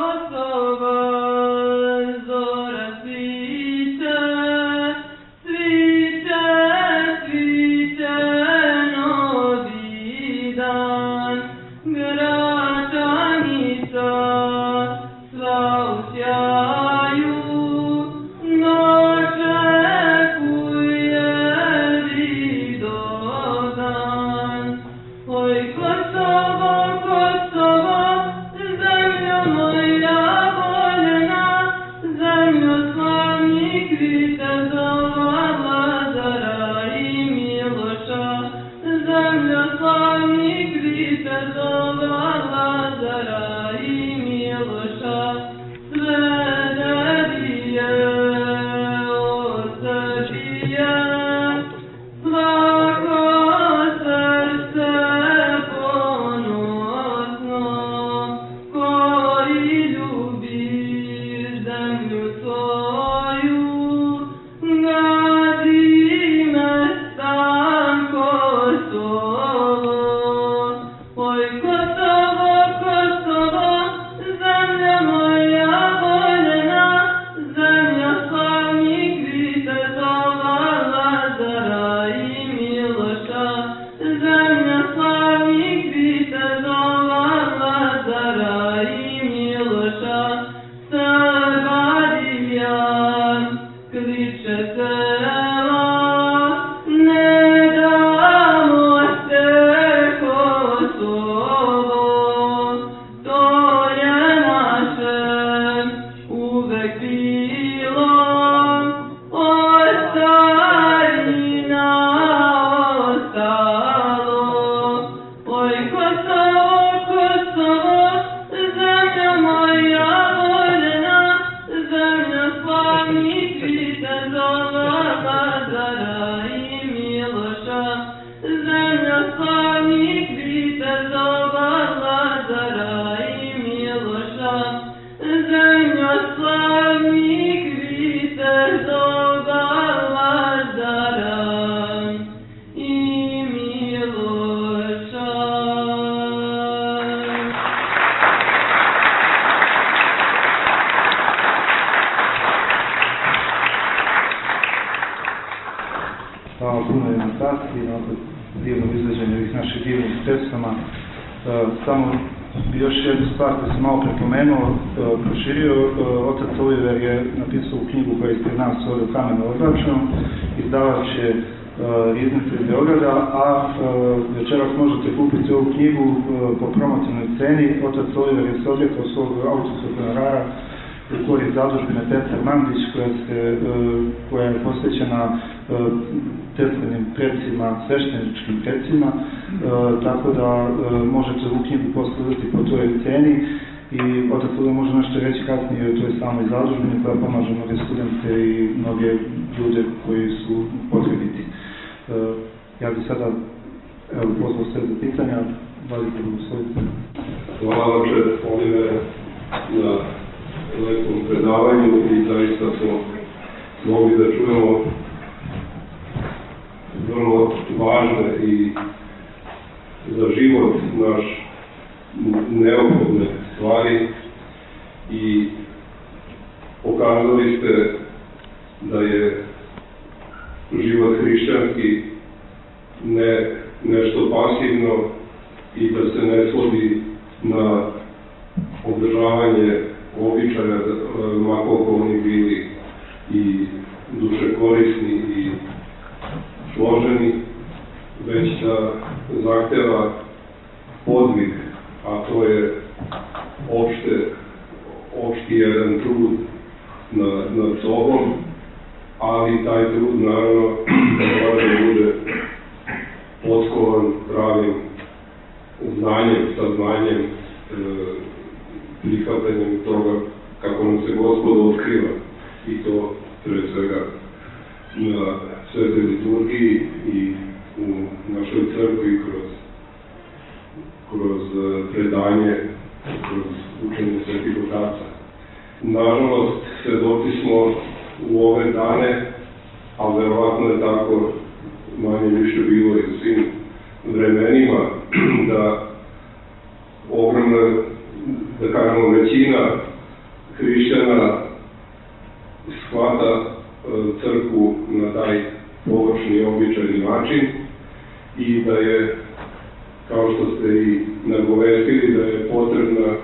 Samo bi još jednu stvar koju sam malo prepomenuo, proširio. Otac Oliver je napisao u knjigu koja je ispred nas ovdje u Kamenu Odvraćenom, izdavač je iznad iz Beograda, a večeras možete kupiti ovu knjigu po promotivnoj ceni. Otac Oliver je se odrekao svog autorskog honorara u korist zadužbine Petar Mandić, koja, se, koja je posvećena Teslinim predsima, svešteničkim predsima, tako da možete ovu knjigu poslužiti po toj ceni i otac Oliver može nešto reći kasnije o toj samoj zadužbini koja pomaže mnoge studente i mnoge ljude koji su potrebiti. Ja bih sada evo, pozvao sve za pitanja, valite blagoslovite. Hvala oče Oliver na lepom predavanju i zaista smo mogli da čujemo vrlo važne i za život naš neophodne stvari i pokazali ste da je život hrišćanski ne nešto pasivno i da se ne svodi na održavanje običaja, ma koliko oni bili i duše korisni i složeni, već da zahteva podvig, a to je opšte, opšti jedan trud nad, nad sobom, ali taj trud naravno mora da bude potkovan pravim znanjem, saznanjem, e, prihvatanjem toga kako nam se Gospod otkriva i to pre svega na svetoj liturgiji i u našoj crkvi kroz, kroz predanje, kroz učenje svetih otaca. Nažalost, svedoci smo u ove dane, ali verovatno je tako manje više bilo i u svim vremenima, da ogromna, da kažemo, većina hrišćana shvata crkvu na taj površni i običajni način i da je, kao što ste i nagovestili, da je potrebna e,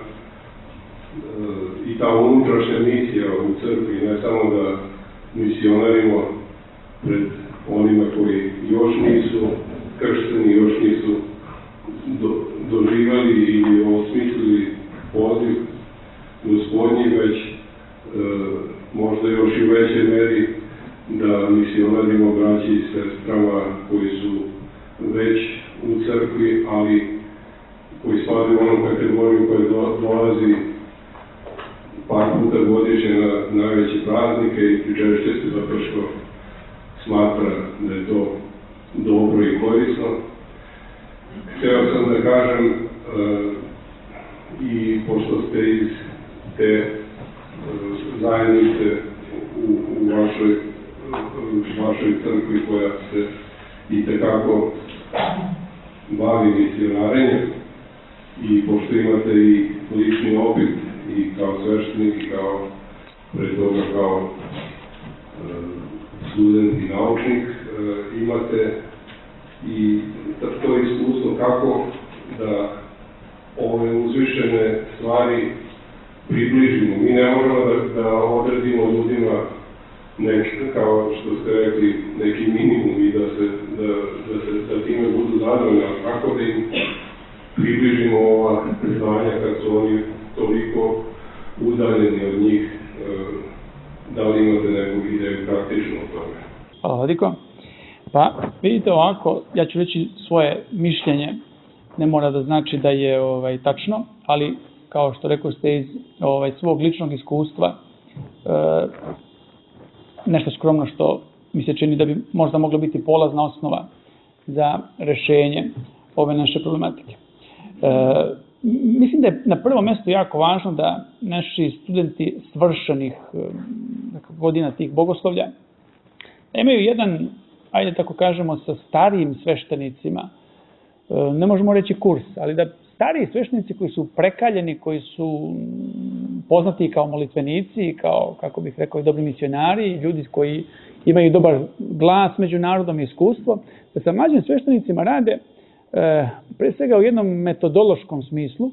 i ta unutrašnja misija u crkvi, ne samo da misionarimo pred onima koji još nisu kršteni, još nisu do, doživali i osmislili poziv Gospodnji, već e, možda još i u većoj meri da misionarimo braći i sestrama koji su već u crkvi, ali koji spadaju u onom kategoriju koja do, dolazi par puta godišnje na najveće praznike i pričešće se zato što smatra da je to dobro i korisno. Htio sam da kažem e, i pošto ste iz te e, zajednice u, u vašoj, u vašoj crkvi koja se i tekako bavi misionarenjem i pošto imate i lični opit i kao sveštenik i kao pre toga kao e, student i naučnik, e, imate i to iskustvo kako da ove uzvišene stvari približimo. Mi ne možemo da, da odredimo ljudima neki, kao što ste rekli, neki minimum i da se, da, da se da time budu zadovoljni, ali kako da im približimo ova znanja kad su oni toliko udaljeni od njih, da li imate neku ideju praktično o tome? Hvala, Vladiko. Pa, vidite ovako, ja ću reći svoje mišljenje, ne mora da znači da je ovaj, tačno, ali kao što rekao ste iz ovaj, svog ličnog iskustva, e, nešto skromno što mi se čini da bi možda moglo biti polazna osnova za rešenje ove naše problematike. E, mislim da je na prvom mjestu jako važno da naši studenti svršenih godina tih bogoslovlja imaju jedan, ajde tako kažemo, sa starijim sveštenicima, ne možemo reći kurs, ali da stariji sveštenici koji su prekaljeni, koji su poznati kao molitvenici, kao, kako bih rekao, dobri misionari, ljudi koji imaju dobar glas među narodom i iskustvo, da sa mlađim sveštenicima rade e, pre svega u jednom metodološkom smislu,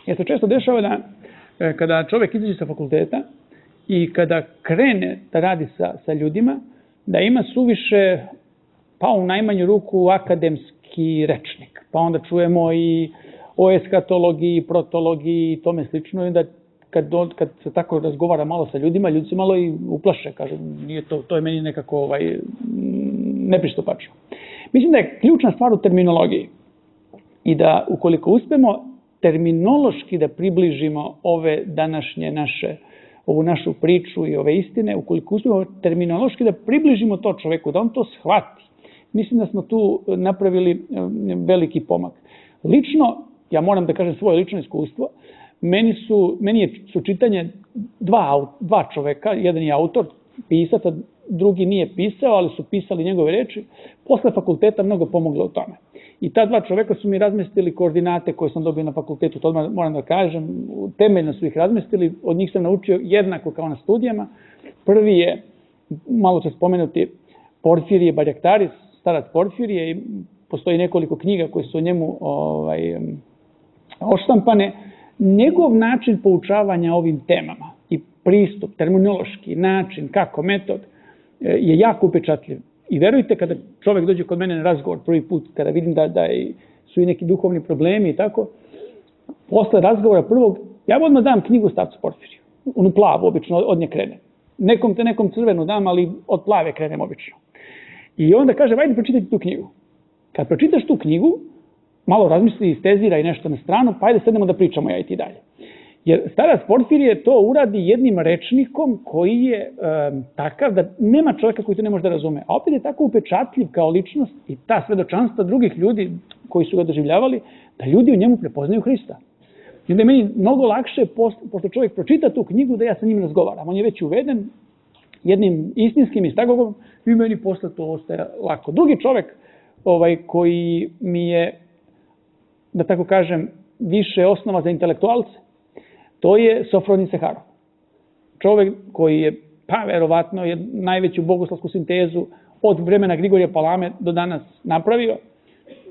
jer se često dešava da e, kada čovjek izađe sa fakulteta i kada krene da radi sa, sa ljudima, da ima suviše, pa u najmanju ruku, akademski rečnik. Pa onda čujemo i o eskatologiji, i protologiji i tome slično. I onda kad, kad se tako razgovara malo sa ljudima, ljudi se malo i uplaše. Kažu, nije to, to je meni nekako ovaj, nepristupačno. Mislim da je ključna stvar u terminologiji. I da ukoliko uspemo terminološki da približimo ove današnje naše ovu našu priču i ove istine, ukoliko uspijemo terminološki da približimo to čoveku, da on to shvati. Mislim da smo tu napravili veliki pomak. Lično, ja moram da kažem svoje lično iskustvo, meni su, meni je, su čitanje dva, dva čoveka, jedan je autor, pisac, a drugi nije pisao, ali su pisali njegove reči, posle fakulteta mnogo pomoglo u tome. I ta dva čoveka su mi razmestili koordinate koje sam dobio na fakultetu, to moram da kažem, temeljno su ih razmestili, od njih sam naučio jednako kao na studijama. Prvi je, malo će spomenuti, Porfirije Barjaktaris, starac Porfirije, i postoji nekoliko knjiga koje su o njemu ovaj, oštampane. Njegov način poučavanja ovim temama i pristup, terminološki način, kako, metod, je jako upečatljiv. I verujte, kada čovjek dođe kod mene na razgovor prvi put, kada vidim da, da su i neki duhovni problemi i tako, posle razgovora prvog, ja odmah dam knjigu starcu Porfiriju. Onu plavu, obično, od nje krene. Nekom te nekom crvenu dam, ali od plave krenem obično. I onda kaže, ajde pročitajte tu knjigu. Kad pročitaš tu knjigu, malo razmisli, istezira i nešto na stranu, pa ajde sednemo da pričamo ja i ti dalje. Jer starac Porfirije to uradi jednim rečnikom koji je e, takav da nema čovjeka koji to ne može da razume. A opet je tako upečatljiv kao ličnost i ta svedočanstva drugih ljudi koji su ga doživljavali, da ljudi u njemu prepoznaju Hrista. I onda je meni mnogo lakše, pošto čovjek pročita tu knjigu, da ja sa njim razgovaram. On je već uveden jednim istinskim istagogom i meni posle to ostaje lako. Drugi čovjek ovaj, koji mi je, da tako kažem, više osnova za intelektualce, to je Sofronij Seharov. Čovjek koji je, pa verovatno, je najveću bogoslovsku sintezu od vremena Grigorija Palame do danas napravio.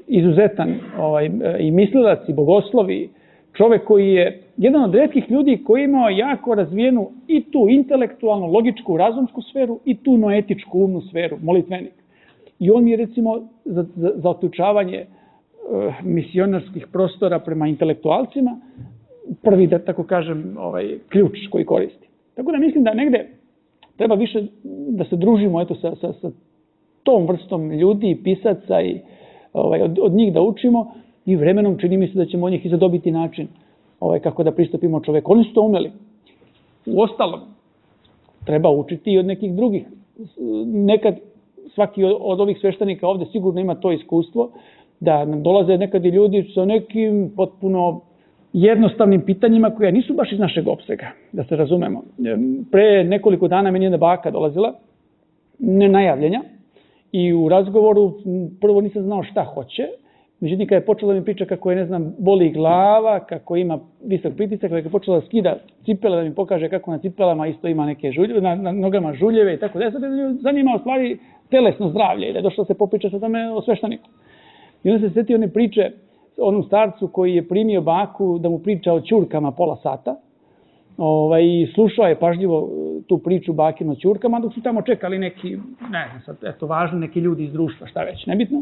Izuzetan ovaj, i mislilac i bogoslovi. Čovjek koji je jedan od retkih ljudi koji je imao jako razvijenu i tu intelektualnu, logičku, razumsku sferu i tu noetičku, umnu sferu, molitvenik. I on mi je, recimo, za, za, za otključavanje uh, misionarskih prostora prema intelektualcima prvi, da tako kažem, ovaj, ključ koji koristi. Tako da mislim da negde treba više da se družimo eto, sa, sa, sa tom vrstom ljudi, pisaca i ovaj, od, od njih da učimo i vremenom čini mi se da ćemo od njih i zadobiti način ovaj, kako da pristupimo čoveku. Oni su to umeli. U ostalom, treba učiti i od nekih drugih. Nekad svaki od ovih sveštenika ovde sigurno ima to iskustvo, da nam dolaze nekad i ljudi sa nekim potpuno jednostavnim pitanjima koja nisu baš iz našeg opsega, da se razumemo. Pre nekoliko dana meni jedna baka dolazila, nenajavljenja, i u razgovoru prvo nisam znao šta hoće, međutim kada je počela da mi priča kako je, ne znam, boli glava, kako ima visok pritisak, kako je počela da skida cipele, da mi pokaže kako na cipelama isto ima neke žuljeve, na, na nogama žuljeve i tako da. Sad je zanimao stvari telesno zdravlje i da je došlo da se popriča sa tome o svešteniku. I onda se setio one priče onom starcu koji je primio baku da mu priča o ćurkama pola sata. Ovaj, i slušao je pažljivo tu priču bakinu o ćurkama, dok su tamo čekali neki, ne znam sad, eto, važni neki ljudi iz društva, šta već, nebitno.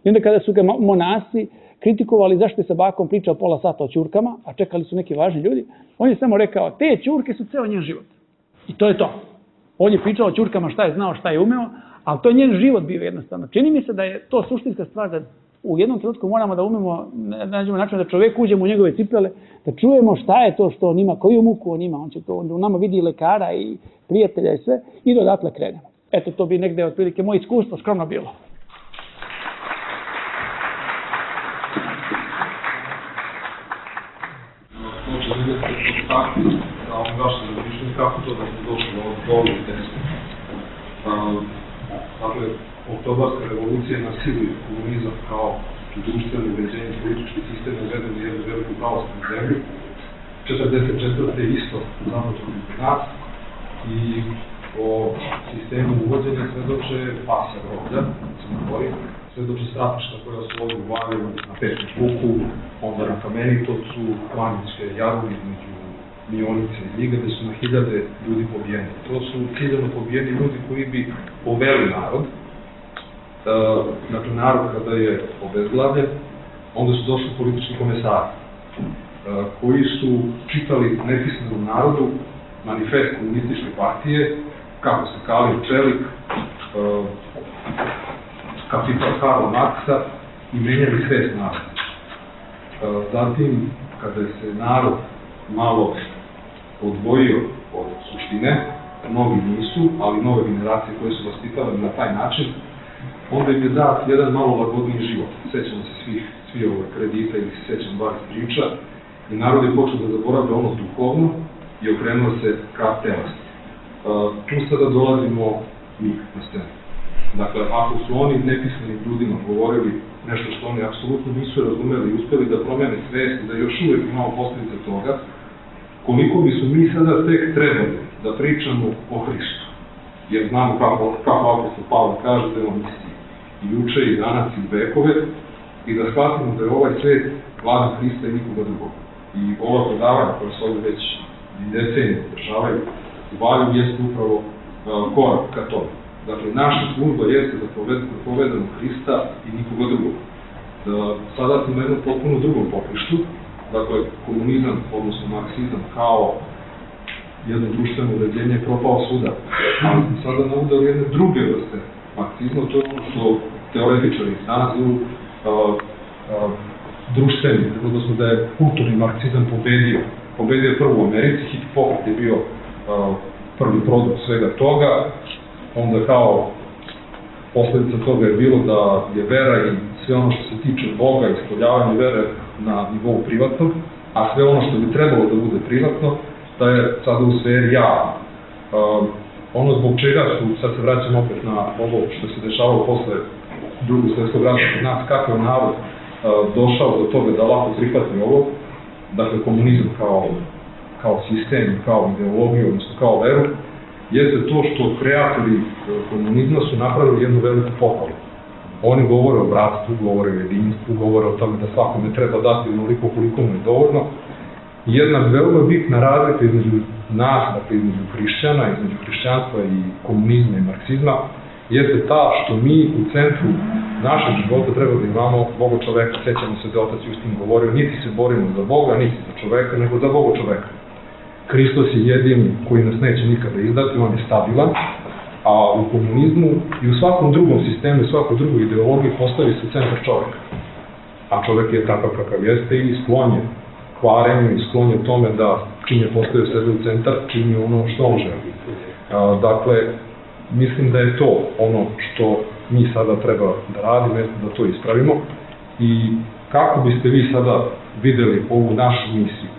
I onda kada su ga monasi kritikovali zašto je sa bakom pričao pola sata o ćurkama, a čekali su neki važni ljudi, on je samo rekao, te ćurke su ceo njen život. I to je to. On je pričao o ćurkama šta je znao, šta je umeo, ali to je njen život bio jednostavno. Čini mi se da je to suštinska stvar, da u jednom trenutku moramo da umemo, da nađemo način da čovek uđemo u njegove cipele, da čujemo šta je to što on ima, koju muku on ima, on će to, on u nama vidi i lekara i prijatelja i sve, i do odatle krenemo. Eto, to bi negde otprilike moje iskustvo skromno bilo. Može vidjeti tako, da vam vaše razmišljanje, kako to da smo došli do ovog teksta. Dakle, oktobarska revolucija nasili komunizam kao društveno uređenje, politički sistem uveden u jednu veliku pravoslavnu zemlju. četrdeset četvrte isto započeli kod nas i o sistemu uvođenja svedoče pasa groblja, Crnoj Gori, svedoče stratišta koja su ovdje u Valjevu, na Pečnom Kuku, onda na Kamenitovcu, Klaničke jaru između Mionice i Ljiga, gde su na hiljade ljudi pobijeni. To su ciljano pobijeni ljudi koji bi poveli narod. Dakle, narod kada je obezglavljen, onda su došli politički komesari, koji su čitali nepismenom narodu manifest komunističke partije, kako se Kalin Čelik, kapital Karla Marksa, i menjali svest naroda. Zatim, kada se narod malo odvojio od suštine, mnogi nisu, ali nove generacije koje su vaspitale na taj način, onda im je dat jedan malo lagodniji život. Sećamo se svih, svi ove kredita ili se sećam bar priča, i narod je počeo da zaboravlja ono duhovno i okrenuo se ka telesno. Tu sada dolazimo mi na scenu. Dakle, ako su oni nepismenim ljudima govorili nešto što oni apsolutno nisu razumeli i uspeli da promene svest, da još uvek imamo posljedice toga, koliko bi su mi sada tek trebali da pričamo o Hristu. Jer znamo kako, kako apostol Pavle kaže da je on isti i juče, i danas, i vekove, i da shvatimo da je ovaj svet vladan Hrista i nikoga drugog. I ova predavanja koja se ovdje već decenije održavaju u Valjevu jeste upravo uh, korak ka tome. Dakle, naša služba jeste da povedemo Hrista i nikoga drugog. Da sada smo na jednom potpuno drugom poprištu, dakle, komunizam, odnosno marksizam, kao jedno društveno uređenje je propao svuda. Ali smo sada naudali jedne druge vrste marksizma, to je ono što teoretičari danas zovu uh, uh, društveni, odnosno da je kulturni marksizam pobedio. Pobedio je prvo u Americi, Hipokrat je bio uh, prvi produkt svega toga, onda kao posljedica toga je bilo da je vera i sve ono što se tiče Boga, ispoljavanje vere na nivou privatnog, a sve ono što bi trebalo da bude privatno, da je sada u sferi javno. Uh, ono zbog čega su, sad se vraćam opet na ovo što se dešavalo posle drugog svjetskog rata kod nas, kako je narod uh, došao do toga da lako prihvati ovo, dakle komunizam kao, kao sistem, kao ideologiju, odnosno kao veru, jeste to što kreatori komunizma su napravili jednu veliku pohvalu. Oni govore o bratstvu, govore o jedinstvu, govore o tome da svakome treba dati onoliko koliko mu je dovoljno. Jedna veoma bitna razlika između nas, dakle između hrišćana, između hrišćanstva i komunizma i marksizma, jeste ta što mi u centru našeg života treba da imamo Boga čoveka. Sećamo se da otac Justin govorio, niti se borimo za Boga, niti za čoveka, nego za Boga čoveka. Hristos je jedini koji nas neće nikada izdati, on je stabilan, a u komunizmu i u svakom drugom sistemu, u svakoj drugoj ideologiji postavi se centar čoveka. A čovek je takav kakav jeste i sklon je kvarenju i sklon je tome da čim je postavio sebe u centar, čini ono što on želi. Dakle, mislim da je to ono što mi sada treba da radimo, da to ispravimo i kako biste vi sada videli ovu našu misiju?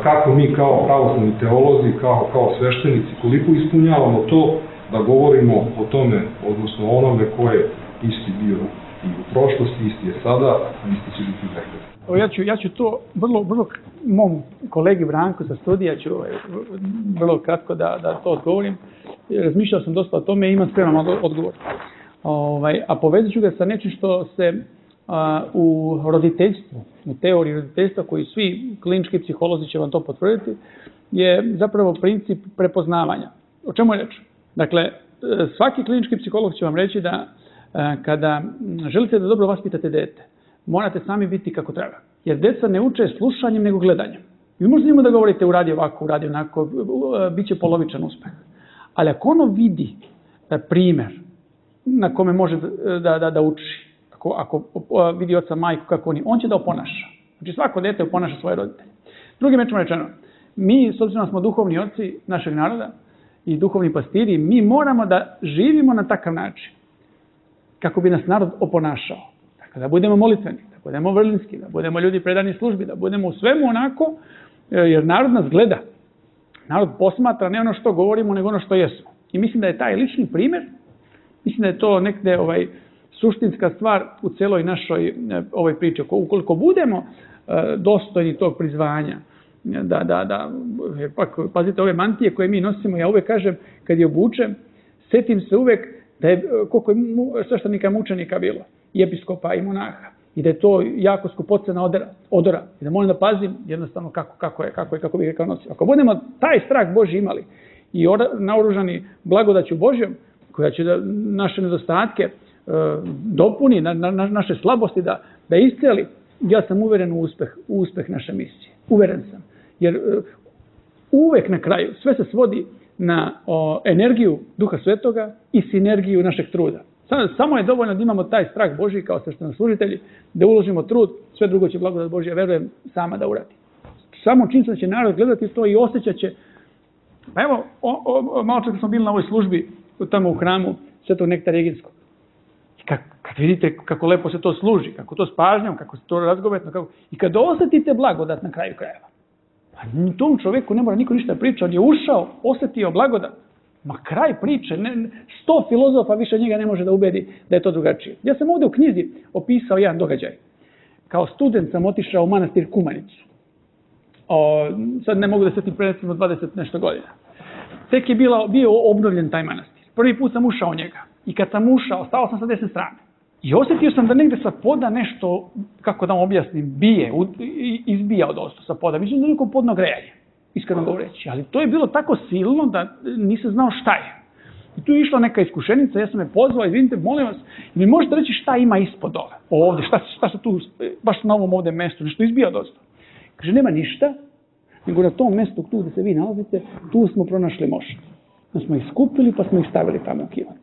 Kako mi kao pravoslavni teolozi, kao, kao sveštenici, koliko ispunjavamo to da govorimo o tome, odnosno o onome ko je isti bio i u prošlosti, isti je sada, a isti će biti u vekove. Ja ću, ja ću to vrlo, vrlo mom kolegi Branku sa studija ću vrlo kratko da, da to odgovorim. Razmišljao sam dosta o tome i imam spreman odgovor. Ovaj, a povezat ću ga sa nečim što se a, u roditeljstvu, u teoriji roditeljstva, koji svi klinički psiholozi će vam to potvrditi, je zapravo princip prepoznavanja. O čemu je reč? Dakle, svaki klinički psiholog će vam reći da kada želite da dobro vaspitate dete, morate sami biti kako treba. Jer deca ne uče slušanjem nego gledanjem. Vi možete njemu da govorite uradi ovako, uradi onako, bit će polovičan uspeh. Ali ako ono vidi primer na kome može da, da, da uči, ako, ako vidi oca, majku kako oni, on će da oponaša. Znači svako dete oponaša svoje roditelje. Drugim rečima rečeno, mi, s obzirom da smo duhovni oci našeg naroda i duhovni pastiri, mi moramo da živimo na takav način kako bi nas narod oponašao. Dakle, da budemo molitveni, da budemo vrlinski, da budemo ljudi predani službi, da budemo u svemu onako, jer narod nas gleda. Narod posmatra ne ono što govorimo, nego ono što jesmo. I mislim da je taj lični primjer, mislim da je to nekde ovaj, suštinska stvar u celoj našoj ovoj priči. Ukoliko budemo dostojni tog prizvanja, da, da, da, pazite ove mantije koje mi nosimo, ja uvek kažem, kad je obučem, setim se uvek da je, koliko je sveštenika mučenika bilo, i episkopa i monaha, i da je to jako skupocena odora, odora, i da moram da pazim jednostavno kako, kako je, kako je, kako bih rekao nosio. Ako budemo taj strah Božji imali i naoružani blagodaću Božjom, koja će da naše nedostatke e, dopuni, na, na, naše slabosti da, da isceli, ja sam uveren u uspeh, u uspeh naše misije. Uveren sam. Jer e, uvek na kraju sve se svodi na o, energiju Duha Svetoga i sinergiju našeg truda. Samo je dovoljno da imamo taj strah Božji kao sveštenoslужitelji, da uložimo trud, sve drugo će blagodat Božja, verujem, sama da uradi. Samo činjenica će narod gledati to i osjećat će. Pa evo, o, o, malo čak smo bili na ovoj službi tamo u hramu Svetog Nektara Eginskog. I kad, kad vidite kako lepo se to služi, kako to s pažnjom, kako se to razgovetno, kako... i kad osjetite blagodat na kraju krajeva. Pa tom čovjeku ne mora niko ništa priča, on je ušao, osjetio blagodat. Ma kraj priče, ne, sto filozofa više njega ne može da ubedi da je to drugačije. Ja sam ovdje u knjizi opisao jedan događaj. Kao student sam otišao u manastir Kumanicu. O, sad ne mogu da se ti predstavimo dvadeset nešto godina. Tek je bila, bio obnovljen taj manastir. Prvi put sam ušao u njega. I kad sam ušao, stao sam sa desne strane. I osjetio sam da negde sa poda nešto, kako da vam objasnim, bije, izbija od osto sa poda. Mislim da je neko podno grejanje, iskreno govoreći. Ali to je bilo tako silno da nisam znao šta je. I tu je išla neka iskušenica, ja sam je pozvao, izvinite, molim vas, mi možete reći šta ima ispod dole, ovdje, šta, šta se tu, baš na ovom ovdje mestu, nešto izbija od osto. Kaže, nema ništa, nego na tom mestu tu gdje se vi nalazite, tu smo pronašli mošt. Da smo ih skupili pa smo ih stavili tamo u kivat.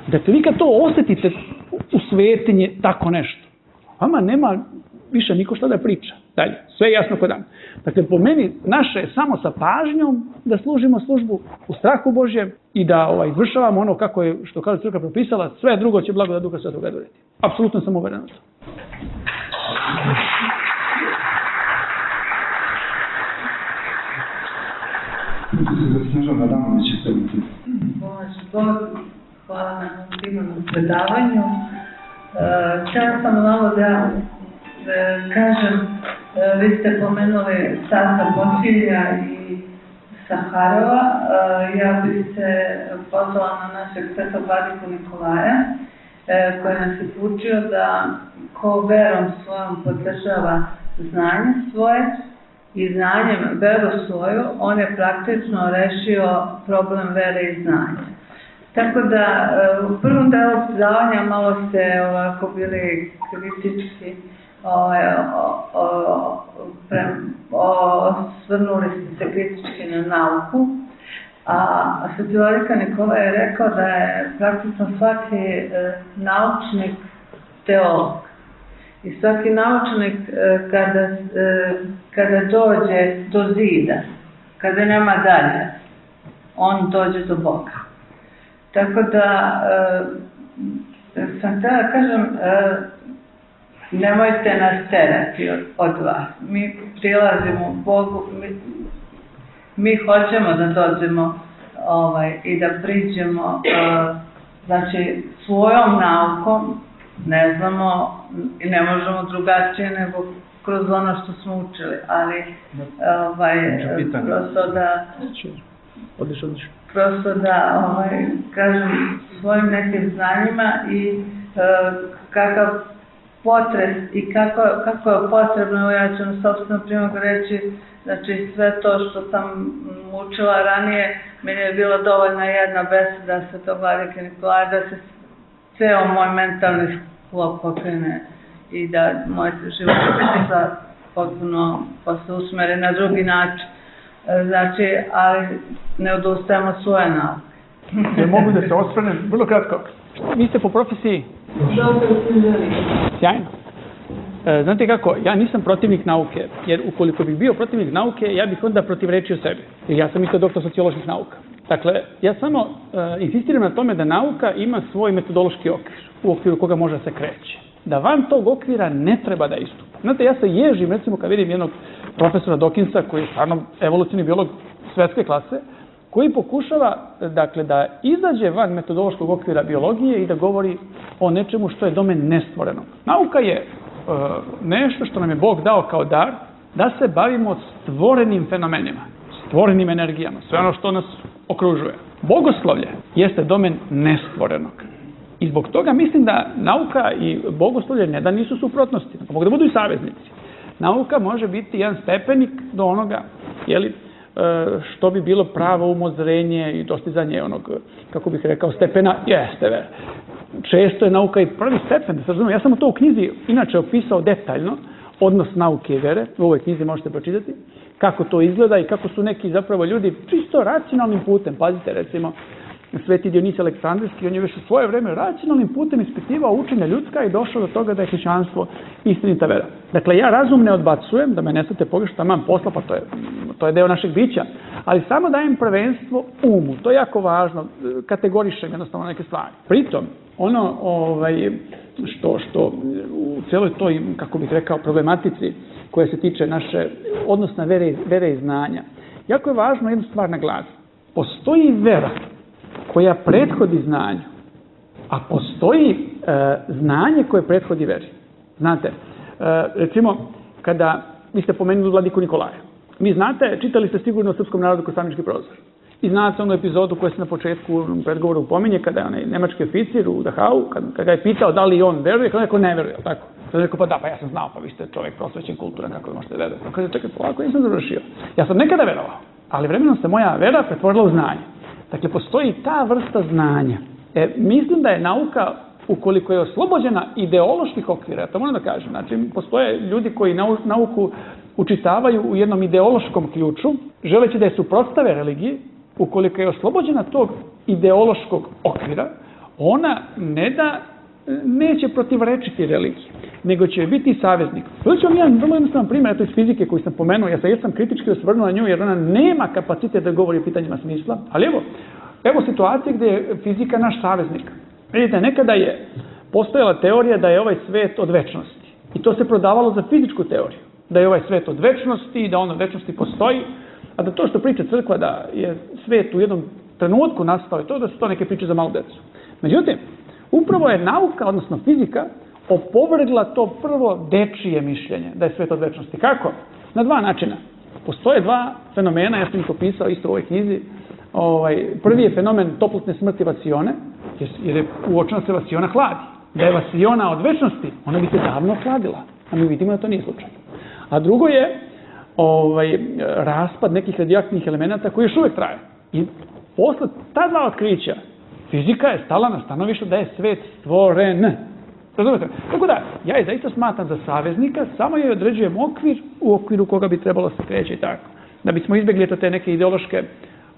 Dakle, vi kad to osjetite u svetinje tako nešto, vama nema više niko šta da priča. Dalje, sve je jasno kod dan. Dakle, po meni, naše je samo sa pažnjom da služimo službu u strahu Božjem i da ovaj, izvršavamo ono kako je, što kaže crkva propisala, sve drugo će blagodat Duha Svetoga donijeti. Apsolutno sam uveren u to. Hvala na divnom predavanju. Htjela sam malo da kažem, vi ste pomenuli Stasa Bosilja i Saharova. Ja bih se pozvala na našeg svetog vladiku Nikolaja, koji nas je poučio da ko verom svojom podržava znanje svoje i znanjem veru svoju, on je praktično rešio problem vere i znanja. Tako da u prvom delu predavanja malo ste ovako bili kritički, osvrnuli ste se kritički na nauku, a Sveti vladika Nikola je rekao da je praktično svaki naučnik teolog. I svaki naučnik kada, kada dođe do zida, kada nema dalje, on dođe do Boga. Tako da sam htjela kažem, e, nemojte nas terati od, od vas. Mi prilazimo Bogu, mi, mi hoćemo da dođemo ovaj, i da priđemo, e, znači svojom naukom, ne znamo i ne možemo drugačije nego kroz ono što smo učili, ali ovaj, prosto da Odlično, odlično. prosto da ovaj, kažem svojim nekim znanjima i e, kakav potres i kako, kako je potrebno, evo ja ću na sopstvenom primjeru reći, znači sve to što sam učila ranije, meni je bila dovoljna jedna beseda Svetog Vladike Nikolaja da se ceo moj mentalni sklop pokrene i da moj život sa potpuno posle usmere na drugi način. Znači, ali ne odustajemo od svoje nauke. Ja mogu da se osvrnem, vrlo kratko. Vi ste po profesiji? Sjajno. E, znate kako, ja nisam protivnik nauke, jer ukoliko bih bio protivnik nauke, ja bih onda protivrečio sebi. Jer ja sam isto doktor socioloških nauka. Dakle, ja samo e, insistiram na tome da nauka ima svoj metodološki okvir, u okviru koga može da se kreće. Da van tog okvira ne treba da istupa. Znate, ja se ježim, recimo, kad vidim jednog profesora Dawkinsa, koji je stvarno evolucijni biolog svetske klase, koji pokušava, dakle, da izađe van metodološkog okvira biologije i da govori o nečemu što je domen nestvorenog. Nauka je e, nešto što nam je Bog dao kao dar, da se bavimo stvorenim fenomenima, stvorenim energijama, sve ono što nas okružuje. Bogoslovlje jeste domen nestvorenog. I zbog toga mislim da nauka i bogoslovlje ne da nisu suprotnosti, mogu da budu i saveznici. Nauka može biti jedan stepenik do onoga, jeli, što bi bilo pravo umozrenje i dostizanje onog, kako bih rekao, stepena, jeste, ver. Često je nauka i prvi stepen, da se razumijem. Ja sam to u knjizi inače opisao detaljno, odnos nauke i vere, u ovoj knjizi možete pročitati, kako to izgleda i kako su neki zapravo ljudi čisto racionalnim putem, pazite, recimo, Sveti Dionis Aleksandrijski, on je već u svoje vreme racionalnim putem ispitivao učenja ljudska i došao do toga da je hrišćanstvo istinita vera. Dakle, ja razum ne odbacujem, da me ne svete pogrešno, taman posla, pa to je, to je deo našeg bića, ali samo dajem prvenstvo umu, to je jako važno, kategorišem jednostavno neke stvari. Pritom, ono ovaj, što, što u cijeloj toj, kako bih rekao, problematici koja se tiče naše odnosna vere, vere i znanja, jako je važno jednu stvar naglasiti. Postoji vera koja prethodi znanju, a postoji e, znanje koje prethodi veri. Znate, e, recimo, kada vi ste pomenuli Vladiku Nikolaja, mi znate, čitali ste sigurno o srpskom narodu kroz Samnički prozor. I znate onu epizodu koju se na početku u predgovoru pominje, kada je onaj nemački oficir u Dachau, kada, kada ga je pitao da li on veruje, kada neko ne veruje, tako? Kada je rekao, pa da, pa ja sam znao, pa vi ste čovjek prosvećen, kulturan, kako da možete verati. Kada je čekaj, polako, nisam završio. Ja sam nekada verovao, ali vremenom se moja vera pretvorila u znanje. Dakle, postoji ta vrsta znanja. E, mislim da je nauka, ukoliko je oslobođena ideoloških okvira, ja to moram da kažem, znači, postoje ljudi koji nau, nauku učitavaju u jednom ideološkom ključu, želeći da je suprotstave religiji, ukoliko je oslobođena tog ideološkog okvira, ona ne da neće protivrečiti religiji, nego će biti saveznik. To ću vam jedan vrlo jednostavan primjer, eto iz fizike koju sam pomenuo, ja sam jesam kritički osvrnuo na nju jer ona nema kapacitet da govori o pitanjima smisla, ali evo, evo situacije gdje je fizika naš saveznik. Vidite, nekada je postojala teorija da je ovaj svet od večnosti i to se prodavalo za fizičku teoriju, da je ovaj svet od večnosti i da on od večnosti postoji, a da to što priča crkva da je svet u jednom trenutku nastao i to da su to neke priče za malu decu. Međutim, upravo je nauka, odnosno fizika, opovrgla to prvo dečije mišljenje, da je svet od večnosti. Kako? Na dva načina. Postoje dva fenomena, ja sam ih opisao isto u ovoj knjizi. Ovaj, prvi je fenomen toplotne smrti vasione, jer je uočeno se vasiona hladi. Da je vasiona od večnosti, ona bi se davno hladila, a mi vidimo da to nije slučaj. A drugo je ovaj, raspad nekih radioaktivnih elemenata koji još uvijek traje. I posle ta dva otkrića, fizika je stala na stanovištu da je svet stvoren. Razumete? Tako da, ja je zaista smatram za saveznika, samo je određujem okvir u okviru koga bi trebalo se kreći i tako. Da bismo izbjegli te neke ideološke,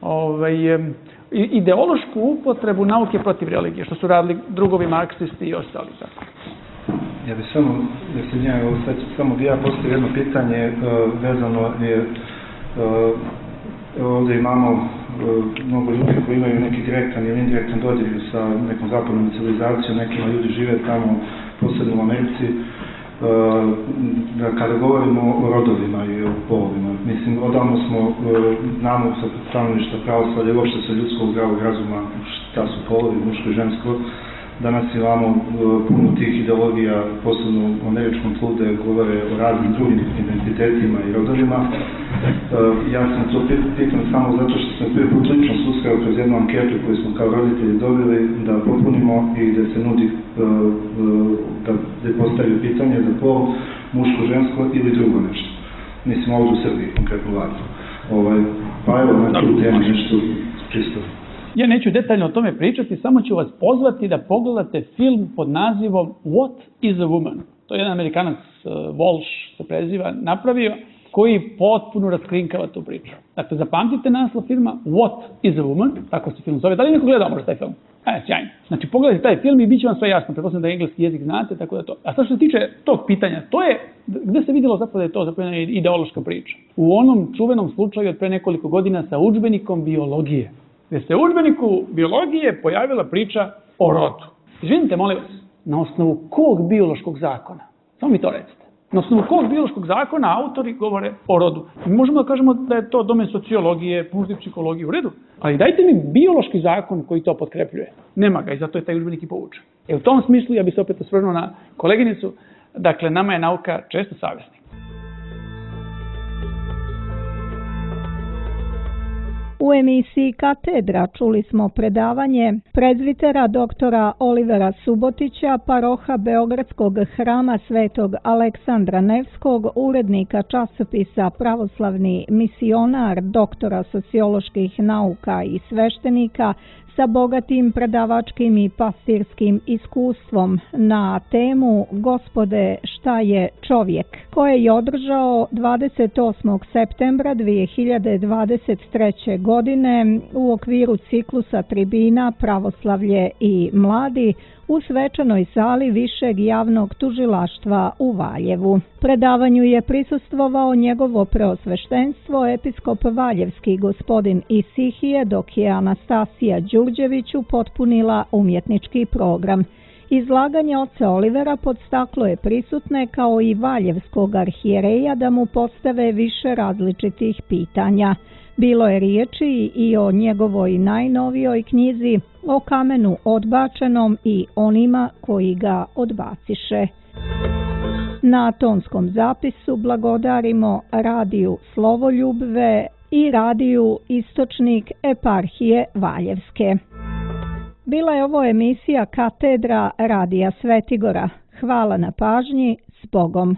ovaj, ideološku upotrebu nauke protiv religije, što su radili drugovi marksisti i ostali. Tako. Ja bih samo, da se njega, sad samo bi ja postavio jedno pitanje uh, vezano je, uh, ovdje imamo mnogo ljudi koji imaju neki direktan ili indirektan dodir sa nekom zapadnom civilizacijom, nekima ljudi žive tamo, posebno u Americi. Kada govorimo o rodovima i o polovima, mislim, odavno smo, znamo sa stanovišta pravoslavlja i uopšte sa ljudskog zdravog razuma šta su polovi, muško i žensko. Danas imamo puno tih ideologija, posebno u američkom tlu, da govore o raznim drugim identitetima i rodovima. Ja sam to pitan samo zato što sam prvi put lično susreo kroz jednu anketu koju smo kao roditelji dobili da popunimo i da se nudi da postavio pitanje za pol, muško, žensko ili drugo nešto. Mislim, ovdje u Srbiji, konkretno Vladu. Pa evo, na tu temu nešto čisto. Ja neću detaljno o tome pričati, samo ću vas pozvati da pogledate film pod nazivom What is a Woman? To je jedan Amerikanac, Walsh se preziva, napravio, koji potpuno raskrinkava tu priču. Dakle, zapamtite naslov filma What is a Woman? Tako se film zove. Da li neko gledao možda taj film? E, sjajno. Znači, pogledajte taj film i bit će vam sve jasno. Pretpostavljam da engleski jezik znate, tako da to. A sad što se tiče tog pitanja, to je, gde se vidjelo zapravo da je to zapravo jedna ideološka priča? U onom čuvenom slučaju od pre nekoliko godina sa udžbenikom biologije. Gde se u udžbeniku biologije pojavila priča o rodu. Izvinite, molim vas, na osnovu kog biološkog zakona? Samo mi to recite. Na osnovu kog biološkog zakona autori govore o rodu? Mi možemo da kažemo da je to domen sociologije, možda i psihologije, u redu. Ali dajte mi biološki zakon koji to potkrepljuje. Nema ga i zato je taj udžbenik i povučen. E u tom smislu ja bih se opet osvrnuo na koleginicu. Dakle, nama je nauka često savjesnik. U emisiji Katedra čuli smo predavanje prezvitera doktora Olivera Subotića, paroha Beogradskog hrama Svetog Aleksandra Nevskog, urednika časopisa Pravoslavni misionar, doktora socioloških nauka i sveštenika, sa bogatim predavačkim i pastirskim iskustvom na temu Gospode, šta je čovjek, koje je održao dvadeset osmog septembra dvije hiljade dvadeset treće. godine u okviru ciklusa tribina Pravoslavlje i mladi u svečanoj sali Višeg javnog tužilaštva u Valjevu. Predavanju je prisustvovao njegovo preosveštenstvo episkop Valjevski gospodin Isihije, dok je Anastasija Đurđević upotpunila umjetnički program. Izlaganje oca Olivera podstaklo je prisutne kao i valjevskog arhijereja da mu postave više različitih pitanja. Bilo je riječi i o njegovoj najnovijoj knjizi, o kamenu odbačenom i onima koji ga odbaciše. Na tonskom zapisu blagodarimo radiju Slovoljubve i radiju Istočnik eparhije Valjevske. Bila je ovo emisija Katedra radija Svetigora. Hvala na pažnji, s Bogom.